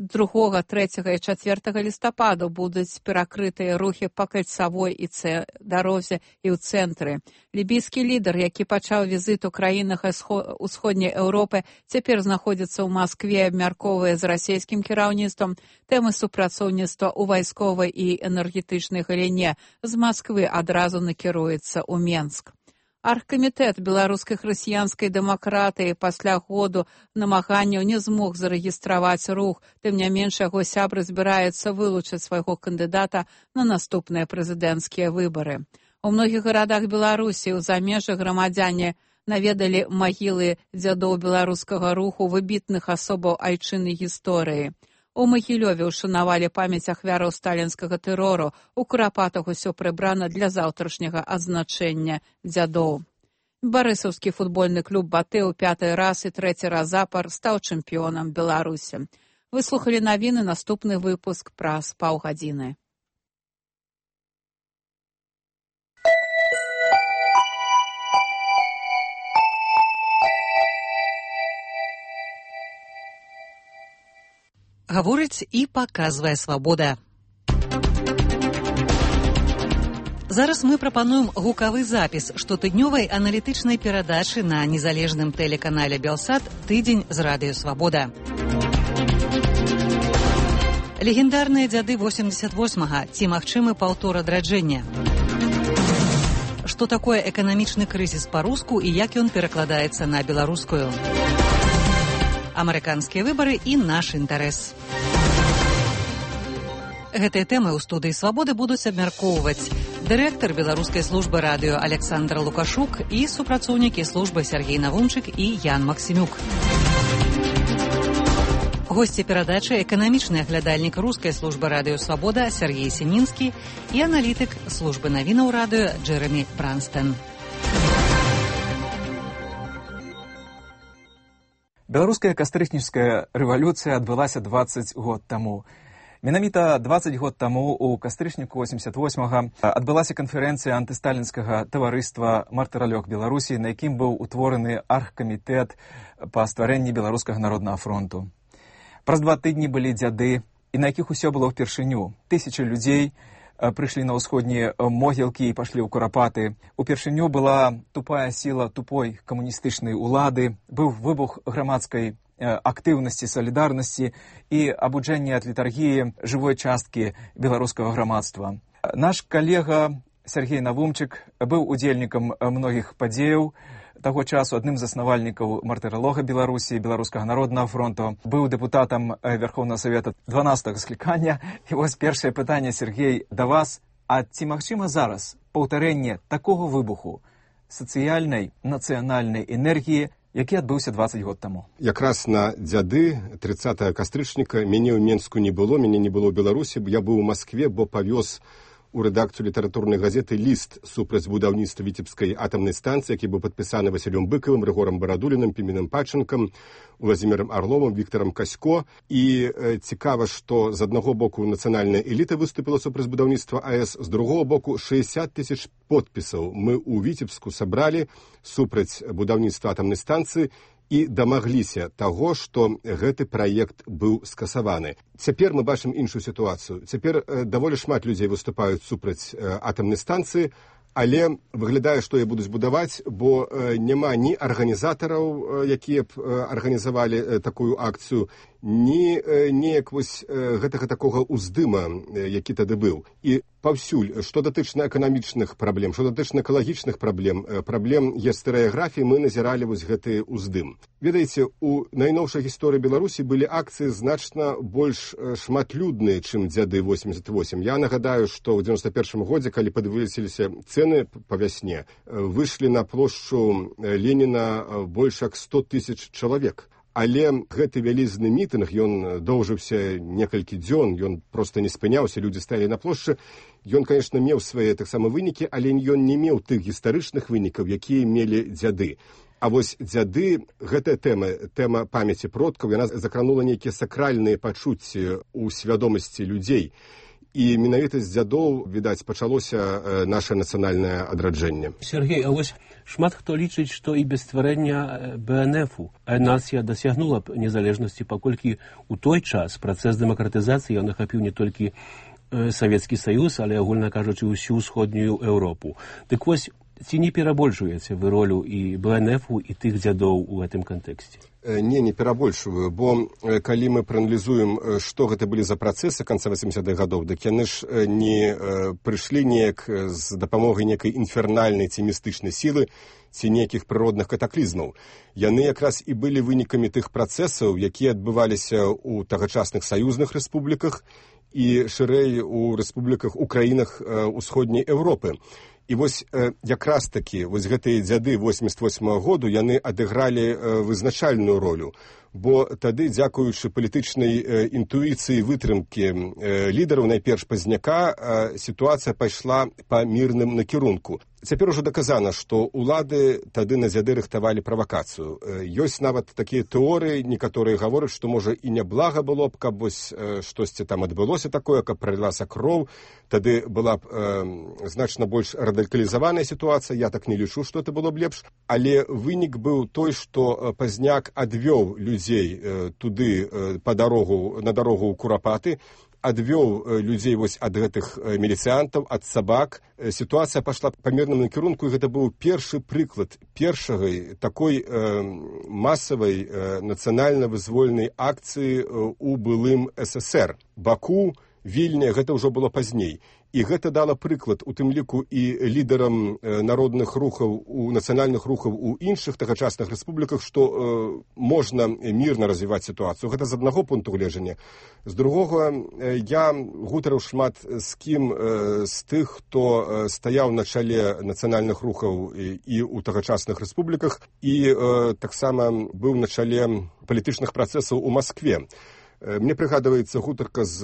другога, трэцяга і чацвёртага лістападу будуць перакрытыя рухі па кальцавой і цэ... дарозе і ў цэнтры. Лібійскі лідар, які пачаў візіт у краінах усходняй Еўропы, цяпер знаходзіцца ў Маскве, абмяркоўвае з расійскім кіраўніцтвам тэмы супрацоўніцтва ў вайсковай і энергетычнай галіне. З Масквы адразу накіруецца ў Менск. Аргкамітэт беларускай хрысціянскай дэмакратыі пасля году намаганняў не змог зарэгістраваць рух, тым не менш яго сябры збіраюцца вылучыць свайго кандыдата на наступныя прэзідэнцкія выбары. У многіх гарадах Беларусі ў замежжах грамадзяне наведалі магілы дзядоў беларускага руху, выбітных асобаў айчыннай гісторыі. У Магілёве ушанавалі памяць ахвяраў сталінскага тэрору. У Курапатах усё прыбрана для заўтрашняга адзначэння дзядоў. Барысаўскі футбольны клуб «Батэ» ў пяты раз і трэці раз запар стаў чэмпіёнам Беларусі. Вы слухалі навіны, наступны выпуск праз паўгадзіны. Гаворыць і паказвае «Свабода». Зараз мы прапануем гукавы запіс штотыднёвай аналітычнай перадачы на незалежным тэлеканале «Белсат» «Тыдзень з радыё Свабода». Легендарныя дзяды восемьдесят восьмага. Ці магчымы паўтор адраджэння? Што такое эканамічны крызіс па-руску і як ён перакладаецца на беларускую? Амерыканскія выбары і наш інтарэс. Гэтыя тэмы ў студыі «Свабоды» будуць абмяркоўваць дырэктар беларускай службы радыё Александр Лукашук і супрацоўнікі службы Сергей Навумчык і Ян Максімюк. Госці перадачы эканамічны аглядальнік рускай службы радыё «Свабода» Сергей Семінскі і аналітык службы навінаў радыё Джэрамі Бранстэн. Беларуская кастрычніцкая рэвалюцыя адбылася дваццаць год таму. Менавіта дваццаць год таму у кастрычніку восемьдесят восьмага адбылася канферэнцыя антысталінскага таварыства «Мартыралёг Беларусі», на якім быў утвораны аргкамітэт па стварэнні Беларускага народнага фронту. Праз два тыдні былі дзяды, і на якіх усё было ўпершыню. Тысячы людзей прыйшлі на ўсходнія могілкі і пашлі ў Курапаты. Упершыню была тупая сіла тупой камуністычнай улады, быў выбух грамадскай актыўнасці, салідарнасці і абуджэнне ад літаргіі жывой часткі беларускага грамадства. Наш калега Сергей Навумчык быў удзельнікам многіх падзеяў таго часу, адным з заснавальнікаў мартыралога Беларусі, Беларускага народнага фронту, быў дэпутатам Верховнага Савета дванаццатага склікання. І вось першае пытанне, Сергей, да вас. А ці магчыма зараз паўтарэнне такога выбуху сацыяльнай, нацыянальнай энергіі, які адбыўся дваццаць год таму? Якраз на дзяды трыццатага кастрычніка мяне ў Менску не было, мяне не было ў Беларусі, я быў у Маскве, бо павёз у рэдакцыю літаратурнай газеты ліст супраць будаўніцтва Віцебскай атамнай станцыі, які быў падпісаны Васілём Быкавым, Рыгорам Барадулінам, Піменам Пачынкам, Владзімірам Арловым, Віктарам Касько. І э, цікава, што з аднаго боку нацыянальная эліта выступіла супраць будаўніцтва АЭС, з другого боку шэсцьдзясят тысяч подпісаў мы ў Віцебску сабралі супраць будаўніцтва атамнай станцыі і дамагліся таго, што гэты праект быў скасаваны. Цяпер мы бачым іншую сітуацыю. Цяпер э, даволі шмат людзей выступаюць супраць э, атамнай станцыі, але выглядае, што яе будуць будаваць, бо э, няма ні арганізатараў, э, якія б э, арганізавалі э, такую акцыю, ні э, неяк вось э, гэтага такога ўздыма, э, які тады быў. І паўсюль, што датычна эканамічных праблем, што датычна экалагічных праблем, э, праблем гістарыяграфіі, мы назіралі вось гэты ўздым. Ведаеце, у найноўшай гісторыі Беларусі былі акцыі значна больш э, шматлюдныя, чым дзяды восемьдесят восемь. Я нагадаю, што ў девяносто первом годзе, калі падвысіліся цены па вясне, выйшлі на плошчу Леніна больш як сто тысяч чалавек. Але гэты вялізны мітынг, ён доўжыўся некалькі дзён, ён проста не спыняўся, людзі стаялі на плошчы. Ён, конечно, меў свае таксама вынікі, але ён не меў тых гістарычных вынікаў, якія мелі дзяды. А вось дзяды, гэтая тэма, тэма памяці продкаў, яна закранула нейкія сакральныя пачуцці ў свядомасці людзей. І менавіта з дзядоў, відаць, пачалося наше нацыянальнае адраджэнне. Сергей, а вось шмат хто лічыць, што і без стварэння бэ эн эфу нацыя дасягнула б незалежнасці, паколькі ў той час працэс дэмакратызацыі ён ахапіў не толькі Савецкі Саюз, але, агульна кажучы, усю ўсходнюю Еўропу. Дык вось, ці не перабольшваеце вы ролю і бэ эн эфу, і тых дзядоў у гэтым кантэксце? Не, не перабольшваю, бо калі мы прааналізуем, што гэта былі за працэсы канца восьмидесятых гадоў, дык яны ж не прыйшлі неяк з дапамогай некай інфернальнай ці містычнай сілы ці нейкіх прыродных катаклізмаў. Яны якраз і былі вынікамі тых працэсаў, якія адбываліся ў тагачасных саюзных рэспубліках і шырэй у рэспубліках, у краінах усходняй Еўропы. І вось э, якраз такі, вось гэтыя дзяды восемьдесят восьмого году, яны адыгралі э, вызначальную ролю, бо тады, дзякуючы палітычнай э, інтуіцыі вытрымкі э, лідараў, найперш Пазняка, э, сітуацыя пайшла па мірным накірунку. Цяпер ужо даказана, што ўлады тады на дзяды рыхтавалі правакацыю. Э, ёсць нават такія тэорыі, некаторыя гавораць, што, можа, і няблага было б, каб вось э, штосьці там адбылося такое, каб пралілася кроў, тады была б э, значна больш радыкалізаваная сітуацыя, я так не лічу, што это было б лепш, але вынік быў той, што Пазняк адвёў людзей э, туды э, па дарогу, на дарогу ў Курапаты, адвёў людзей вось ад гэтых міліцыянтаў, ад сабак. Сітуацыя пайшла па мірным накірунку, і гэта быў першы прыклад першай такой э, масавай э, нацыянальна-вызвольнай акцыі у былым эс эс эр. Баку, Вільня, гэта ўжо было пазней. І гэта дала прыклад у тым ліку і лідарам народных рухаў, у нацыянальных рухаў у іншых тагачасных рэспубліках, што э, можна мірна развіваць сітуацыю. Гэта з аднаго пункту гледжання. З другога, э, я гутарыў шмат з кім э, з тых, хто э, стаяў на чале нацыянальных рухаў і, і ў тагачасных рэспубліках, і э, таксама быў на чале палітычных працэсаў у Маскве. Мне прыгадваецца гутарка з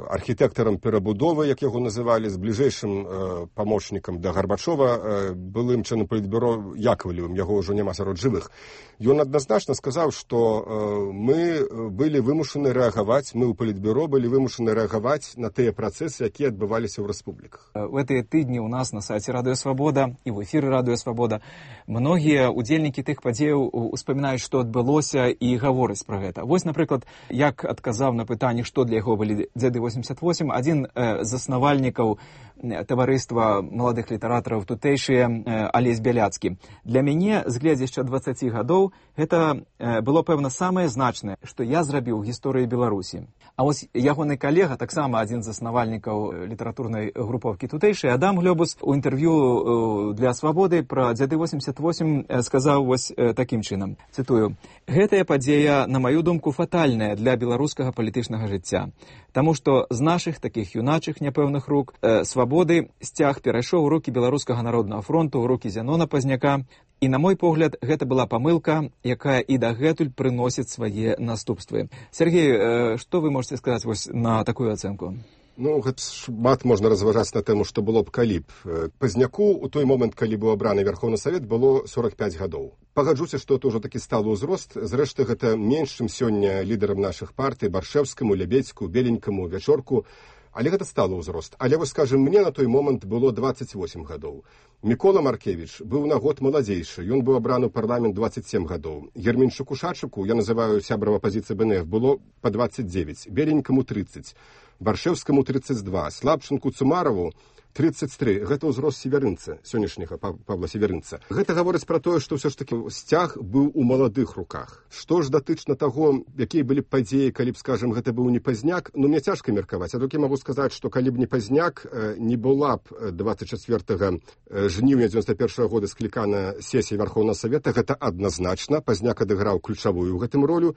архітэктарам перабудовы, як яго называлі, з бліжэйшым памочнікам да Гарбачова, былым членам палітбюро Яковлевым, яго ўжо няма сярод жывых. Ён адназначна сказаў, што мы былі вымушаны рэагаваць, мы ў палітбюро былі вымушаны рэагаваць на тыя працэсы, якія адбываліся ў рэспубліках. У гэтыя тыдні ў нас на сайце Радыё Свабода і ў эфіры Радыё Свабода многія удзельнікі тых падзеяў успамінаюць, што адбылося, і гавораць пра гэта. Вось, напрыклад, як адказаў на пытанне, што для яго былі дзяды восемьдесят восемь, адзін э, з заснавальнікаў таварыства маладых літаратараў тутэйшыя Алесь Бяляцкі. Для мяне з гледзяшча дваццаці гадоў гэта было, пэвна, самае значнае, што я зрабіў у гісторыі Беларусі. А вось ягоны калега, таксама адзін з заснавальнікаў літаратурнай групоўкі тутэйшай, Адам Глёбус, у інтэрв'ю для «Свабоды» пра дзяды восемьдесят восемь сказаў вось такім чынам, цытую: «Гэтая падзея, на маю думку, фатальная для беларускага палітычнага жыцця, таму што з нашых такіх юначых няпэўных рук э, свабоды сцяг перайшоў у рукі Беларускага народнага фронту, у рукі Зянона Пазняка, і, на мой погляд, гэта была памылка, якая і дагэтуль прыносіць свае наступствы». Сергей, э, што вы можете сказаць вось на такую ацэнку? Ну, гэта шмат можна разважаць на тэму, што было б калі б. Пазняку у той момент, калі быў абраны Верховны Савет, было сорок пяць гадоў. Пагаджуся, што это ўжо такі сталы ўзрост. Зрэшты, гэта менш, чым сёння лідарам нашых партый, Баршэвскаму, Лябедзьку, Беленькаму, Вячорку. Але гэта сталы ўзрост. Але, вось, скажем, мне на той момент было дваццаць восемь гадоў. Мікола Маркевіч быў на год маладзейшы. Ён быў абраны ў парламент дваццаць сем гадоў. Ерменчуку Шачыку, я называю сябрам апазіцыі БНФ, было па дваццаць дзевяць. Беленькаму тридцать. Баршэвскаму тридцать два, Слабчынку Цумарову тридцать три. Гэта ўзрост северынца, сённяшняга Павла Северынца. Гэта гаворыць пра тое, што ўсё ж такі сцяг быў у маладых руках. Што ж датычна таго, якія былі б падзеі, калі б, скажем, гэта быў не Пазняк, ну, мне цяжка меркаваць. А толькі магу сказаць, што калі б не Пазняк, не была б двадцать четвёртага жніўня дзевяносто першага года склікана сесія Верховнага Савета, гэта адназначна. Пазняк адыграў ключавую ў гэтым ролю,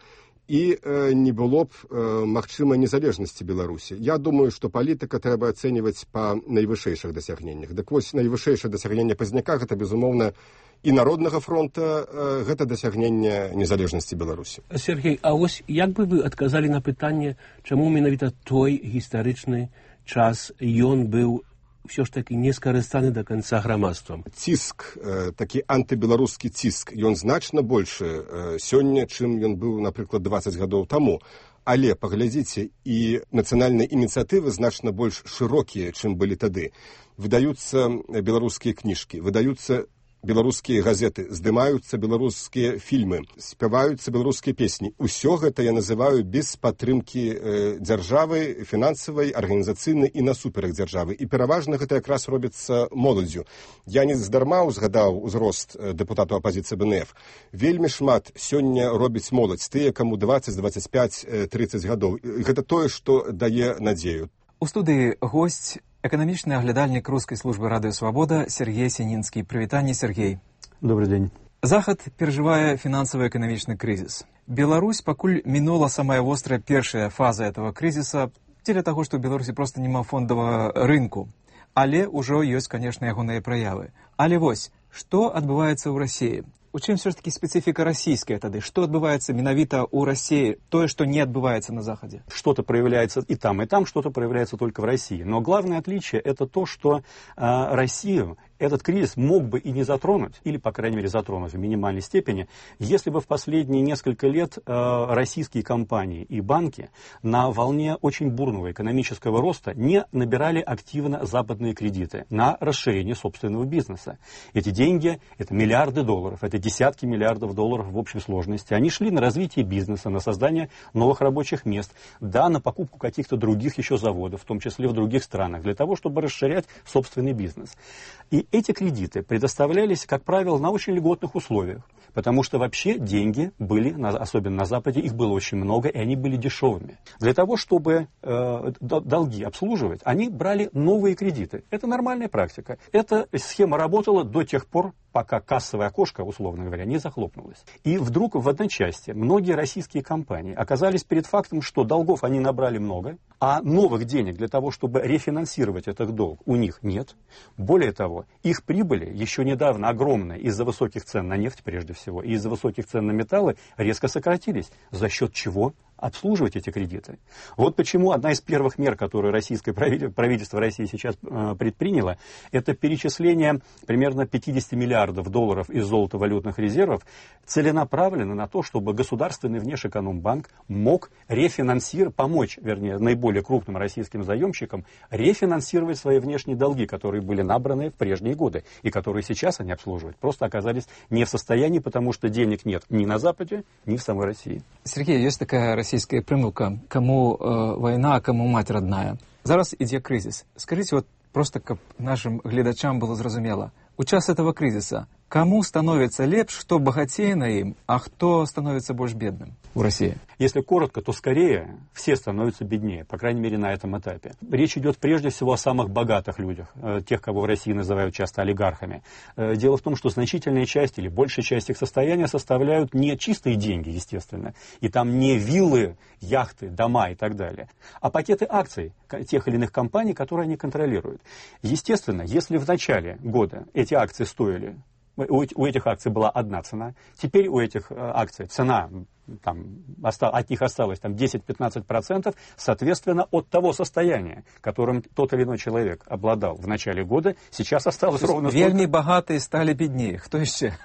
і э, не было б э, магчымай незалежнасці Беларусі. Я думаю, што палітыка трэба ацэньваць па найвышэйшых дасягненнях. Дык вось найвышэйшае дасягненне Пазняка, гэта, безумоўна, і Народнага фронта, э, гэта дасягненне незалежнасці Беларусі. Сергей, а вось як бы вы адказалі на пытанне, чаму менавіта той гістарычны час ён быў все ж таки не скарыстаны до конца грамадствам? Ціск, э, такі антыбеларускі ціск, ён значна большы э, сёння, чым ён быў, напрыклад, двадцать гадоў таму. Але, паглядзіце, і нацыянальныя ініцыятывы значна больш шырокія, чым былі тады. Выдаюцца беларускія кніжкі, выдаюцца беларускія газеты, здымаюцца беларускія фільмы, спяваюцца беларускія песні. Усё гэта я называю без падтрымкі э, дзяржавы, фінансавай, арганізацыйнай і насуперак дзяржавы. І пераважна гэта якраз робіцца моладдзю. Я не здарма узгадаў узрост дэпутату апазіцыі БНФ. Вельмі шмат сёння робіць моладзь, тыя, каму двадцать, двадцать пять, тридцать гадоў. Гэта тое, што дае надзею. У студыі госць, эканамічны аглядальнік рускай службы радыё «Свабода» Сергей Сінінскі. Прывітанне, Сергей. Добрый день. Захад перажывае фінансава-эканамічны крызіс. Беларусь пакуль мінула самая вострая першая фаза этого крызіса дзеля таго, што ў Беларусі проста няма фондавага рынку. Але ўжо ёсць, канешне, ягоныя праявы. Але вось, што адбываецца ў Расіі? У чым все ж таки специфика российская тады? Что отбывается менавіта у России, то, что не отбывается на Западе? Что-то проявляется и там, и там, что-то проявляется только в России. Но главное отличие это то, что э, Россию этот кризис мог бы и не затронуть, или, по крайней мере, затронуть в минимальной степени, если бы в последние несколько лет э, российские компании и банки на волне очень бурного экономического роста не набирали активно западные кредиты на расширение собственного бизнеса. Эти деньги, это миллиарды долларов, это десятки миллиардов долларов в общей сложности. Они шли на развитие бизнеса, на создание новых рабочих мест, да, на покупку каких-то других еще заводов, в том числе в других странах, для того, чтобы расширять собственный бизнес. И эти кредиты предоставлялись, как правило, на очень льготных условиях, потому что вообще деньги были, особенно на Западе, их было очень много, и они были дешевыми. Для того, чтобы э, долги обслуживать, они брали новые кредиты. Это нормальная практика. Эта схема работала до тех пор, пока кассовое окошко, условно говоря, не захлопнулось. И вдруг в одночасье многие российские компании оказались перед фактом, что долгов они набрали много, а новых денег для того, чтобы рефинансировать этот долг, у них нет. Более того, их прибыли, еще недавно огромные, из-за высоких цен на нефть прежде всего, и из-за высоких цен на металлы, резко сократились. За счет чего? Обслуживать эти кредиты. Вот почему одна из первых мер, которую российское правительство России сейчас э, предприняло, это перечисление примерно пятьдесят миллиардов долларов из золотовалютных резервов целенаправленно на то, чтобы государственный Внешэкономбанк мог рефинансировать, помочь, вернее, наиболее крупным российским заемщикам рефинансировать свои внешние долги, которые были набраны в прежние годы и которые сейчас они обслуживают, просто оказались не в состоянии, потому что денег нет ни на Западе, ни в самой России. Сергей, есть такая российская примылка, кому э, война, а кому мать родная. Зараз ідзе крызіс. Скажите, вот Просто каб нашим гледачам было зразумела. У час этого кризиса кому становится лепш, кто богатее на им, а кто становится больше бедным в России? Если коротко, то скорее все становятся беднее, по крайней мере на этом этапе. Речь идет прежде всего о самых богатых людях, тех, кого в России называют часто олигархами. Дело в том, что значительная часть или большая часть их состояния составляют не чистые деньги, естественно, и там не виллы, яхты, дома и так далее, а пакеты акций тех или иных компаний, которые они контролируют. Естественно, если в начале года эти акции стоили, у этих акций была одна цена, теперь у этих акций цена, там, от них осталось там, десять-пятнадцать процентов, соответственно, от того состояния, которым тот или иной человек обладал в начале года, сейчас осталось ровно столько. Вельми богатые стали беднее. Кто еще?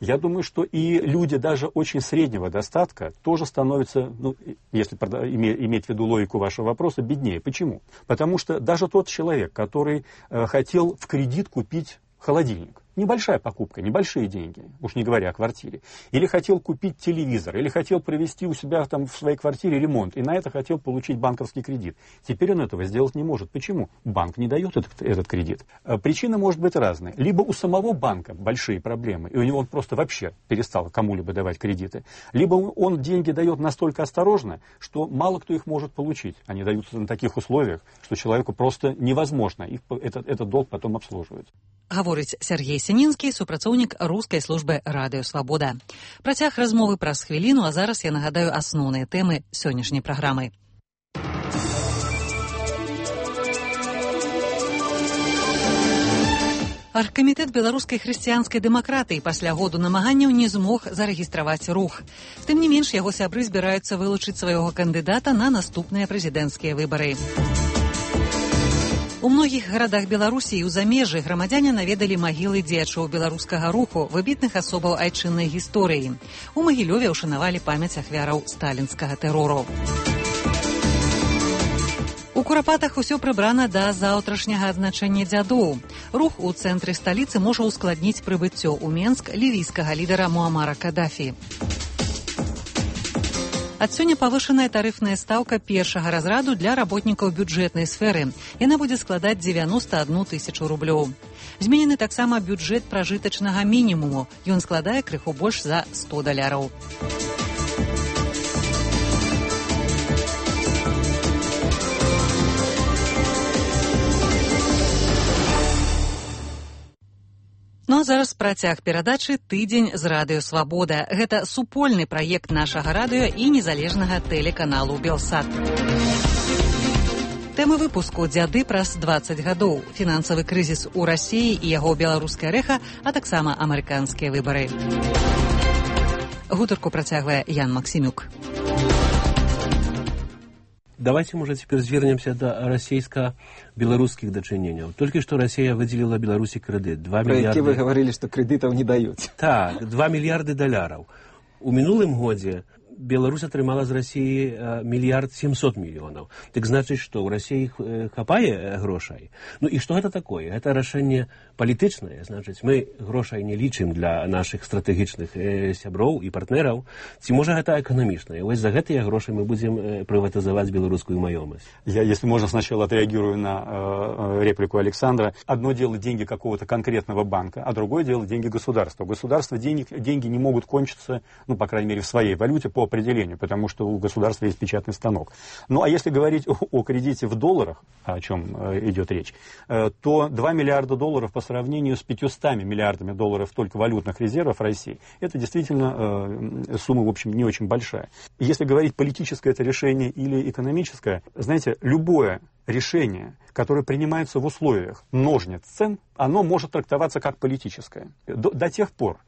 Я думаю, что и люди даже очень среднего достатка тоже становятся, ну, если иметь в виду логику вашего вопроса, беднее. Почему? Потому что даже тот человек, который э, хотел в кредит купить холодильник, небольшая покупка, небольшие деньги, уж не говоря о квартире. Или хотел купить телевизор, или хотел провести у себя там в своей квартире ремонт, и на это хотел получить банковский кредит. Теперь он этого сделать не может. Почему? Банк не дает этот, этот кредит. Причина может быть разная. Либо у самого банка большие проблемы, и у него он просто вообще перестал кому-либо давать кредиты. Либо он деньги дает настолько осторожно, что мало кто их может получить. Они даются на таких условиях, что человеку просто невозможно их, этот, этот долг потом обслуживать. Гаворыць Сергей Сінінскі, супрацоўнік рускай службы Радыё Свабода. Працяг размовы праз хвіліну, а зараз я нагадаю асноўныя тэмы сённяшняй праграмы. Аргкамітэт беларускай хрысціянскай дэмакратыі пасля году намаганняў не змог зарэгістраваць рух. Тым не менш, яго сябры збіраюцца вылучыць свайго кандыдата на наступныя прэзідэнцкія выбары. У многіх гарадах Беларусі і ў замежжы грамадзяне наведалі магілы дзеячоў беларускага руху, выбітных асобаў айчыннай гісторыі. У Магілёве ўшанавалі памяць ахвяраў сталінскага тэрору. У Курапатах усё прыбрана да заўтрашняга адзначэння дзядоў. Рух у цэнтры сталіцы можа ускладніць прыбыццё ў Менск лівійскага лідара Муамара Кадафі. Ад сёння павышаная тарыфная стаўка першага разраду для работнікаў бюджэтнай сферы. Яна будзе складаць дзевяноста адну тысячу рублёў. Зменены таксама бюджэт пражытачнага мінімуму. Ён складае крыху больш за сто даляраў. Ну а зараз працяг перадачы «Тыдзень з Радыё Свабода». Гэта супольны праект нашага радыё і незалежнага тэлеканалу «Белсат». Тэмы выпуску «Дзяды праз дваццаць гадоў», фінансавы крызіс у Расіі і яго беларускае рэха, а таксама амерыканскія выбары. Гутарку працягвае Ян Максимюк. Давайте, может, теперь звернемся до российско-белорусских дочинений. Только что Россия выделила Беларуси кредит. два Про миллиарда... вы говорили, что кредитов не дают. Так, два миллиарда долларов. У минулым годе Беларусь атрымала з России миллиард семьсот миллионов. Так значит, что у России хапае грошай. Ну и что это такое? Это решение политичное. Значит, мы грошай не лічым для наших стратегічных сяброў и партнеров. Ці может это экономично? И вот за гэтыя гроши мы будем приватизовать белорусскую маёмасць. Я, если можно, сначала отреагирую на э, реплику Александра. Одно дело деньги какого-то конкретного банка, а другое дело деньги государства. У государства денег, деньги не могут кончиться, ну, по крайней мере, в своей валюте по определению, потому что у государства есть печатный станок. Ну, а если говорить о, о кредите в долларах, о чем э, идет речь, э, то два миллиарда долларов по сравнению с пятьюстами миллиардами долларов только валютных резервов России, это действительно э, сумма, в общем, не очень большая. Если говорить политическое это решение или экономическое, знаете, любое решение, которое принимается в условиях ножниц цен, оно может трактоваться как политическое. До, до тех пор,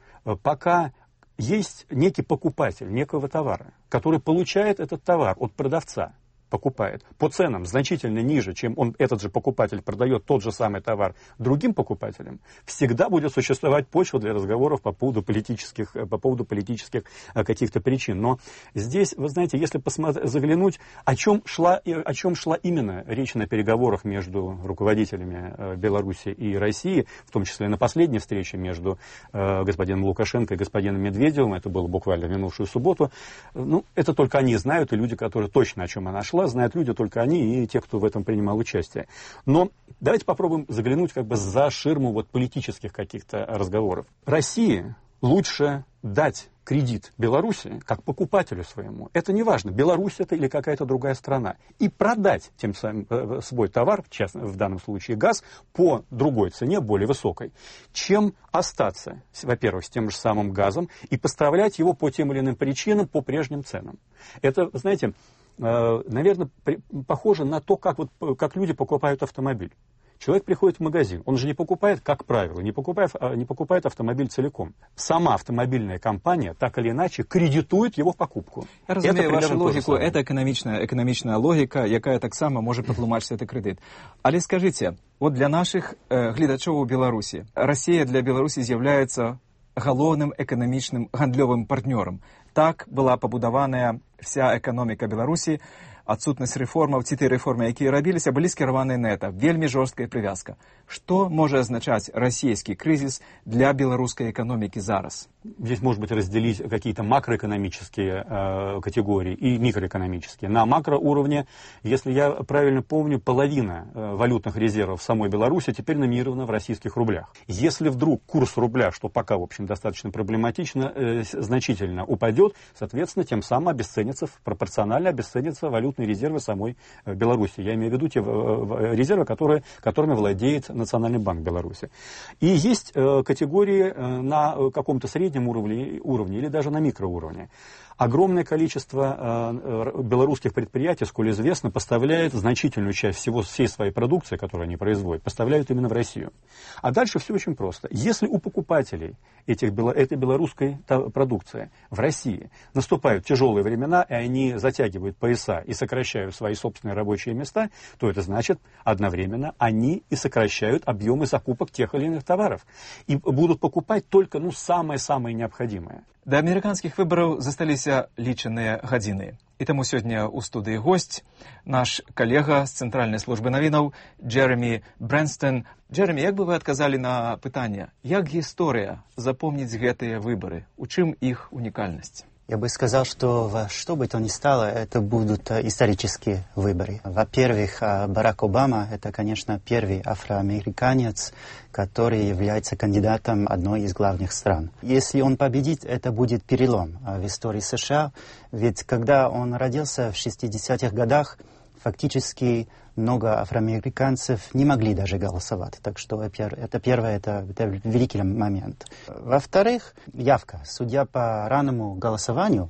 пока есть некий покупатель некого товара, который получает этот товар от продавца, покупает по ценам значительно ниже, чем он, этот же покупатель продает тот же самый товар другим покупателям, всегда будет существовать почва для разговоров по поводу политических, по поводу политических каких-то причин. Но здесь, вы знаете, если посмотреть, заглянуть, о чем шла, о чем шла именно речь на переговорах между руководителями Беларуси и России, в том числе на последней встрече между господином Лукашенко и господином Медведевым, это было буквально в минувшую субботу, ну, это только они знают, и люди, которые точно о чем она шла. прошла, знают люди только они и те, кто в этом принимал участие. Но давайте попробуем заглянуть как бы за ширму вот политических каких-то разговоров. России лучше дать кредит Беларуси как покупателю своему. Это не важно, Беларусь это или какая-то другая страна. И продать тем самым э, свой товар, в, частном, в данном случае газ, по другой цене, более высокой, чем остаться, во-первых, с тем же самым газом и поставлять его по тем или иным причинам по прежним ценам. Это, знаете, э, наверное, при, похоже на то, как, вот, как люди покупают автомобиль. Человек приходит в магазин, он же не покупает, как правило, не покупает, не покупает автомобиль целиком. Сама автомобильная компания так или иначе кредитует его в покупку. Я разумею вашу логику, это экономичная, экономичная логика, якая так само може патлумачити цей кредит. Але скажіть, от для наших е, глядачів у Білорусі, Росія для Білорусі з'являється головним економічним гандльовим партнером. Так була побудована вся економіка Білорусі. Адсутнасць рэформаў ці тыя рэформы, якія рабіліся, былі скіраваныя на это. Вельмі жорсткая прывязка. Што можа азначаць расійскі крызіс для беларускай экономікі зараз? Здесь, может быть, разделить какие-то макроэкономические э, категории и микроэкономические. На макроуровне, если я правильно помню, половина э, валютных резервов самой Беларуси теперь номинирована в российских рублях. Если вдруг курс рубля, что пока, в общем, достаточно проблематично, э, значительно упадет, соответственно, тем самым обесценится, пропорционально обесценятся валютные резервы самой э, Беларуси. Я имею в виду те э, резервы, которые, которыми владеет Национальный банк Беларуси. И есть э, категории э, на каком-то среднем уровне, уровне или даже на микроуровне. Огромное количество э, белорусских предприятий, сколь известно, поставляет значительную часть всего, всей своей продукции, которую они производят, поставляют именно в Россию. А дальше все очень просто. Если у покупателей этих, этой белорусской продукции в России наступают тяжелые времена, и они затягивают пояса и сокращают свои собственные рабочие места, то это значит, одновременно они и сокращают объемы закупок тех или иных товаров. И будут покупать только ну, самое-самое необходимое. Да амерыканскіх выбараў засталіся лічаныя гадзіны. І таму сёння ў студыі госць наш калега з Цэнтральнай службы навінаў Джеремі Брэнстон. Джеремі, як бы вы адказалі на пытанне, як гісторыя запомніць гэтыя выбары? У чым іх унікальнасць? Я бы сказал, что во что бы то ни стало, это будут исторические выборы. Во-первых, Барак Обама – это, конечно, первый афроамериканец, который является кандидатом одной из главных стран. Если он победит, это будет перелом в истории США. Ведь когда он родился в шестидесятых годах, фактически много афроамериканцев не могли даже голосовать. Так что это первое, это, это великий момент. Во-вторых, явка. Судя по раннему голосованию,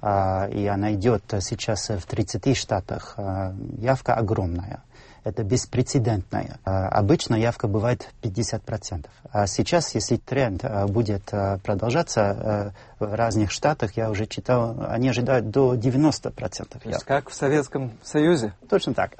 а, и она идет сейчас в тридцати штатах, а, явка огромная. Это беспрецедентная. А, обычно явка бывает пятьдесят процентов. А сейчас, если тренд а, будет а, продолжаться а, в разных штатах, я уже читал, они ожидают до девяноста процентов. То есть как в Советском Союзе? Точно так.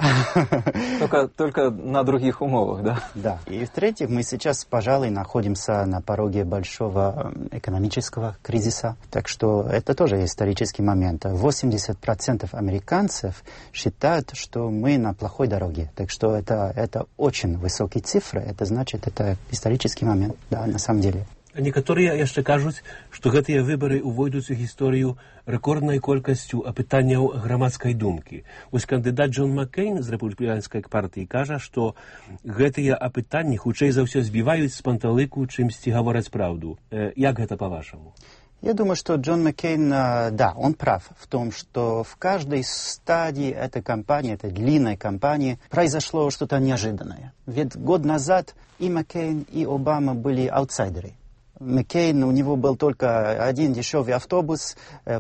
Только, только на других умовах, да? Да. И в-третьих, мы сейчас, пожалуй, находимся на пороге большого экономического кризиса. Так что это тоже исторический момент. восемьдесят процентов американцев считают, что мы на плохой дороге. Так что это, это очень высокие цифры. Это значит, это исторический момент, да, на самом деле. Некаторыя яшчэ кажуць, што гэтыя выбары ўвойдуць у гісторыю рэкорднай колькасцю апытанняў грамадскай думкі. Вось кандыдат Джон Маккейн з рэпубліканскай партыі кажа, што гэтыя апытанні хутчэй за ўсё збіваюць з панталыку, чымсьці гавораць праўду. Як гэта па-вашаму? Я думаю, что Джон Маккейн, да, он прав в том, что в каждой стадии этой кампании, этой длинной кампании, произошло что-то неожиданное. Ведь год назад и Маккейн, и Обама были аутсайдеры. Маккейн, у него был только один дешевый автобус,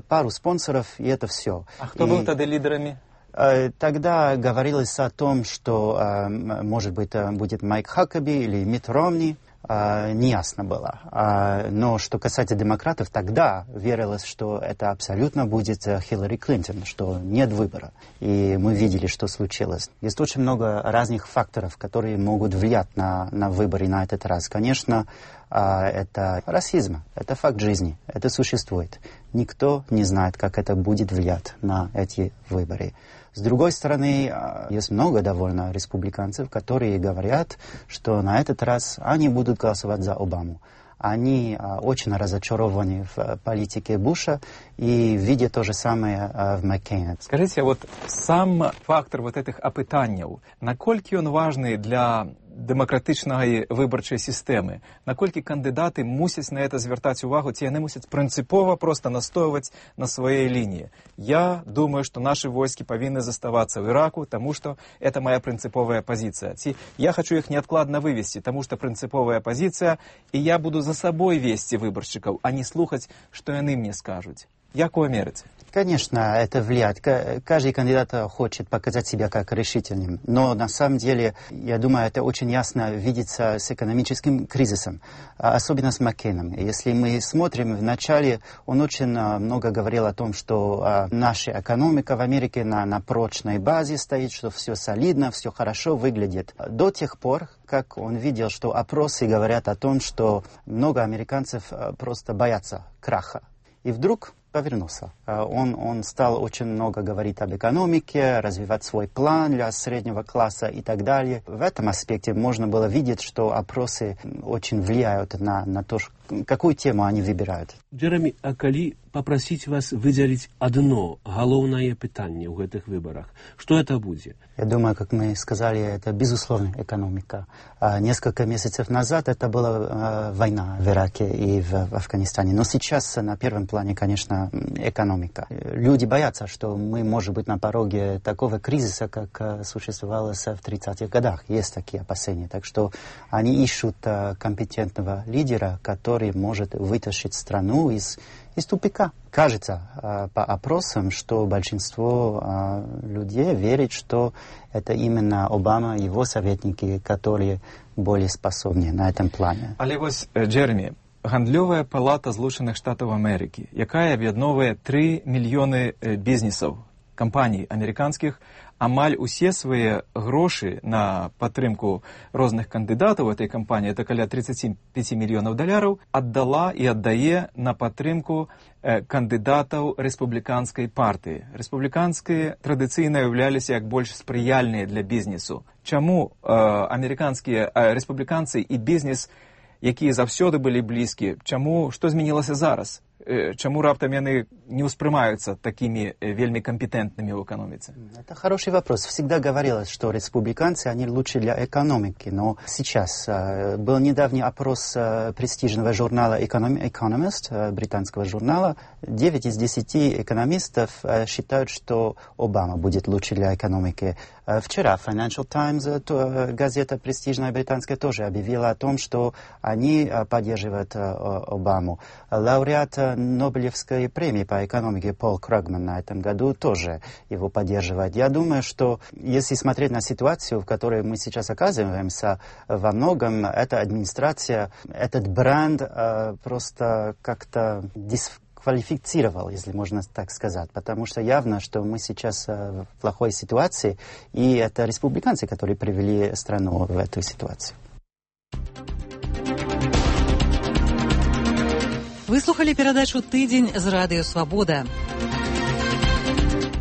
пару спонсоров, и это все. А кто и... был тогда лидерами? Тогда говорилось о том, что, может быть, будет Майк Хакаби или Митт Ромни. Неясно было. Но что касается демократов, тогда верилось, что это абсолютно будет Хиллари Клинтон, что нет выбора. И мы видели, что случилось. Есть очень много разных факторов, которые могут влиять на, на выборы на этот раз. Конечно, это расизм, это факт жизни, это существует. Никто не знает, как это будет влиять на эти выборы. С другой стороны, есть много довольно республиканцев, которые говорят, что на этот раз они будут голосовать за Обаму. они очень разочарованы в политике Буша и видят то же самое в Маккейне. Скажите, вот сам фактор вот этих опытаний, наколькі он важный для демократичної виборчої системи, наколькі кандидати мусять на це звертати увагу, ці не мусять принципово просто настоювати на своей линии. Я думаю, что наши войски повинны заставаться в Ираку, потому что это моя принциповая позиция. Я хочу их неоткладно вывести, потому что принциповая позиция, и я буду за собой вести выборщиков, а не слухать, что они мне скажут. Як вы мерите? Конечно, это влияет. Каждый кандидат хочет показать себя как решительным. Но на самом деле, я думаю, это очень ясно видится с экономическим кризисом. Особенно с Маккейном. Если мы смотрим, вначале он очень много говорил о том, что наша экономика в Америке на, на прочной базе стоит, что все солидно, все хорошо выглядит. До тех пор, как он видел, что опросы говорят о том, что много американцев просто боятся краха. И вдруг повернулся. Он, он стал очень много говорить об экономике, развивать свой план для среднего класса и так далее. В этом аспекте можно было видеть, что опросы очень влияют на, на то, какую тему они выбирают. Джеремі, а калі попросить вас выделить одно головное питание в этих выборах, что это будет? Я думаю, как мы сказали, это безусловно экономика. А несколько месяцев назад это была а, война в Ираке и в, в Афганистане. Но сейчас на первом плане, конечно, экономика. Люди боятся, что мы, может быть, на пороге такого кризиса, как существовало в тридцатых годах. Есть такие опасения. Так что они ищут а, компетентного лидера, который может вытащить страну из, из тупика. Кажется а, по опросам, что большинство а, людей верит, что это именно Обама и его советники, которые более способны на этом плане. Але ось, Джеремі, Гандльовая палата Злучених Штатів Америки, яка об'єдновує три мільйони бізнесів, компаній американських, амаль усе свої гроші на підтримку різних кандидатів в цій компанії, це каля тридцять п'ять мільйонів доларів, віддала і віддає на підтримку кандидатів республіканської партії. Республіканські традиційно являлися як більш сприяльні для бізнесу. Чому е, американські е, республіканці і бізнес, які завсёды были близки, чему, что змінилося зараз? Чему раптом они не воспринимаются такими вельми компетентными в экономике? Это хороший вопрос. Всегда говорилось, что республиканцы, они лучше для экономики. Но сейчас э, был недавний опрос э, престижного журнала Economist, э, британского журнала. девять из десяти экономистов э, считают, что Обама будет лучше для экономики. Э, вчера Financial Times, э, то, э, газета престижная британская, тоже объявила о том, что они э, поддерживают э, Обаму. Лауреат э, Нобелевской премии по экономике Пол Крагман на этом году тоже его поддерживает. Я думаю, что если смотреть на ситуацию, в которой мы сейчас оказываемся, во многом эта администрация, этот бренд э, просто как-то дисквалифицировал, если можно так сказать. Потому что явно, что мы сейчас э, в плохой ситуации, и это республиканцы, которые привели страну в эту ситуацию. Вы слухали перадачу «Тыдзень» з радыё «Свабода».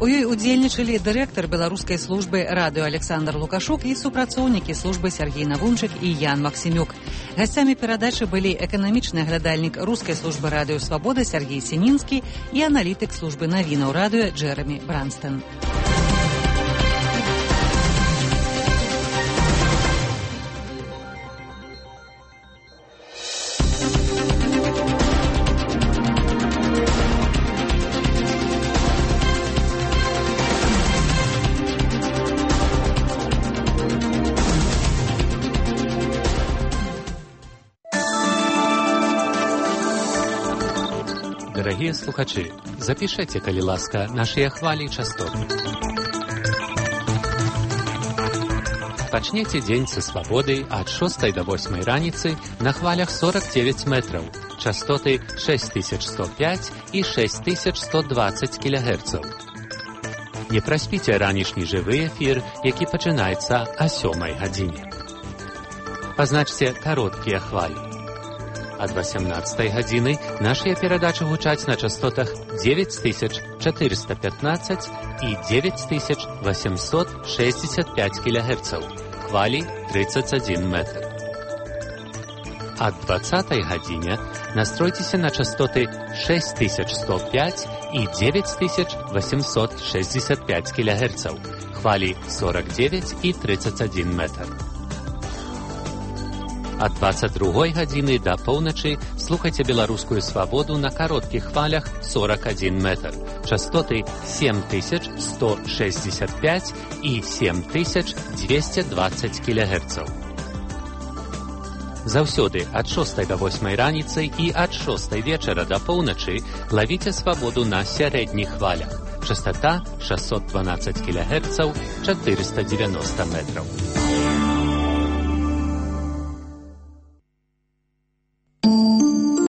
У ёй удзельнічалі дырэктар беларускай службы радыё Александр Лукашук і супрацоўнікі службы Сергей Навунчык і Ян Максімюк. Гасцямі перадачы былі эканамічны аглядальнік рускай службы радыё «Свабода» Сергей Сінінскі і аналітык службы навінаў радыё Джеремі Бранстон. Дарагія слухачы, запішайце, калі ласка, нашыя хвалі частоты. Пачнеце дзень са свабодай ад шостай да восьмай раніцы на хвалях сорок девять метраў, частоты шесть тысяч сто пять і шесть тысяч сто двадцать кілогерцаў. Не праспіце ранішні жывы эфір, які пачынаецца о сёмай гадзіне. Пазначце кароткія хвалі. Ад восемнадцатай гадзіны нашыя перадачы гучаць на частотах девять тысяч четыреста пятнадцать і девять тысяч восемьсот шестьдесят пять кілогерцаў, хвалі тридцать один метр. ад дваццатай гадзіне настройцеся на частоты шэсць тысяч сто пяць і дзевяць тысяч восемьсот шестьдесят пять кілогерцаў, хвалі сорок девять і тридцать один метр. Ад дваццаць другой гадзіны да поўначы слухайце беларускую свабоду на кароткіх хвалях сорок один метр, частоты семь тысяч сто шестьдесят пять і семь тысяч двести двадцать кілогерцаў. Заўсёды ад шостай да восьмай раніцы і ад шостай вечара да поўначы лавіце свабоду на сярэдніх хвалях. Частота шестьсот двенадцать кілогерцаў, четыреста девяносто метров.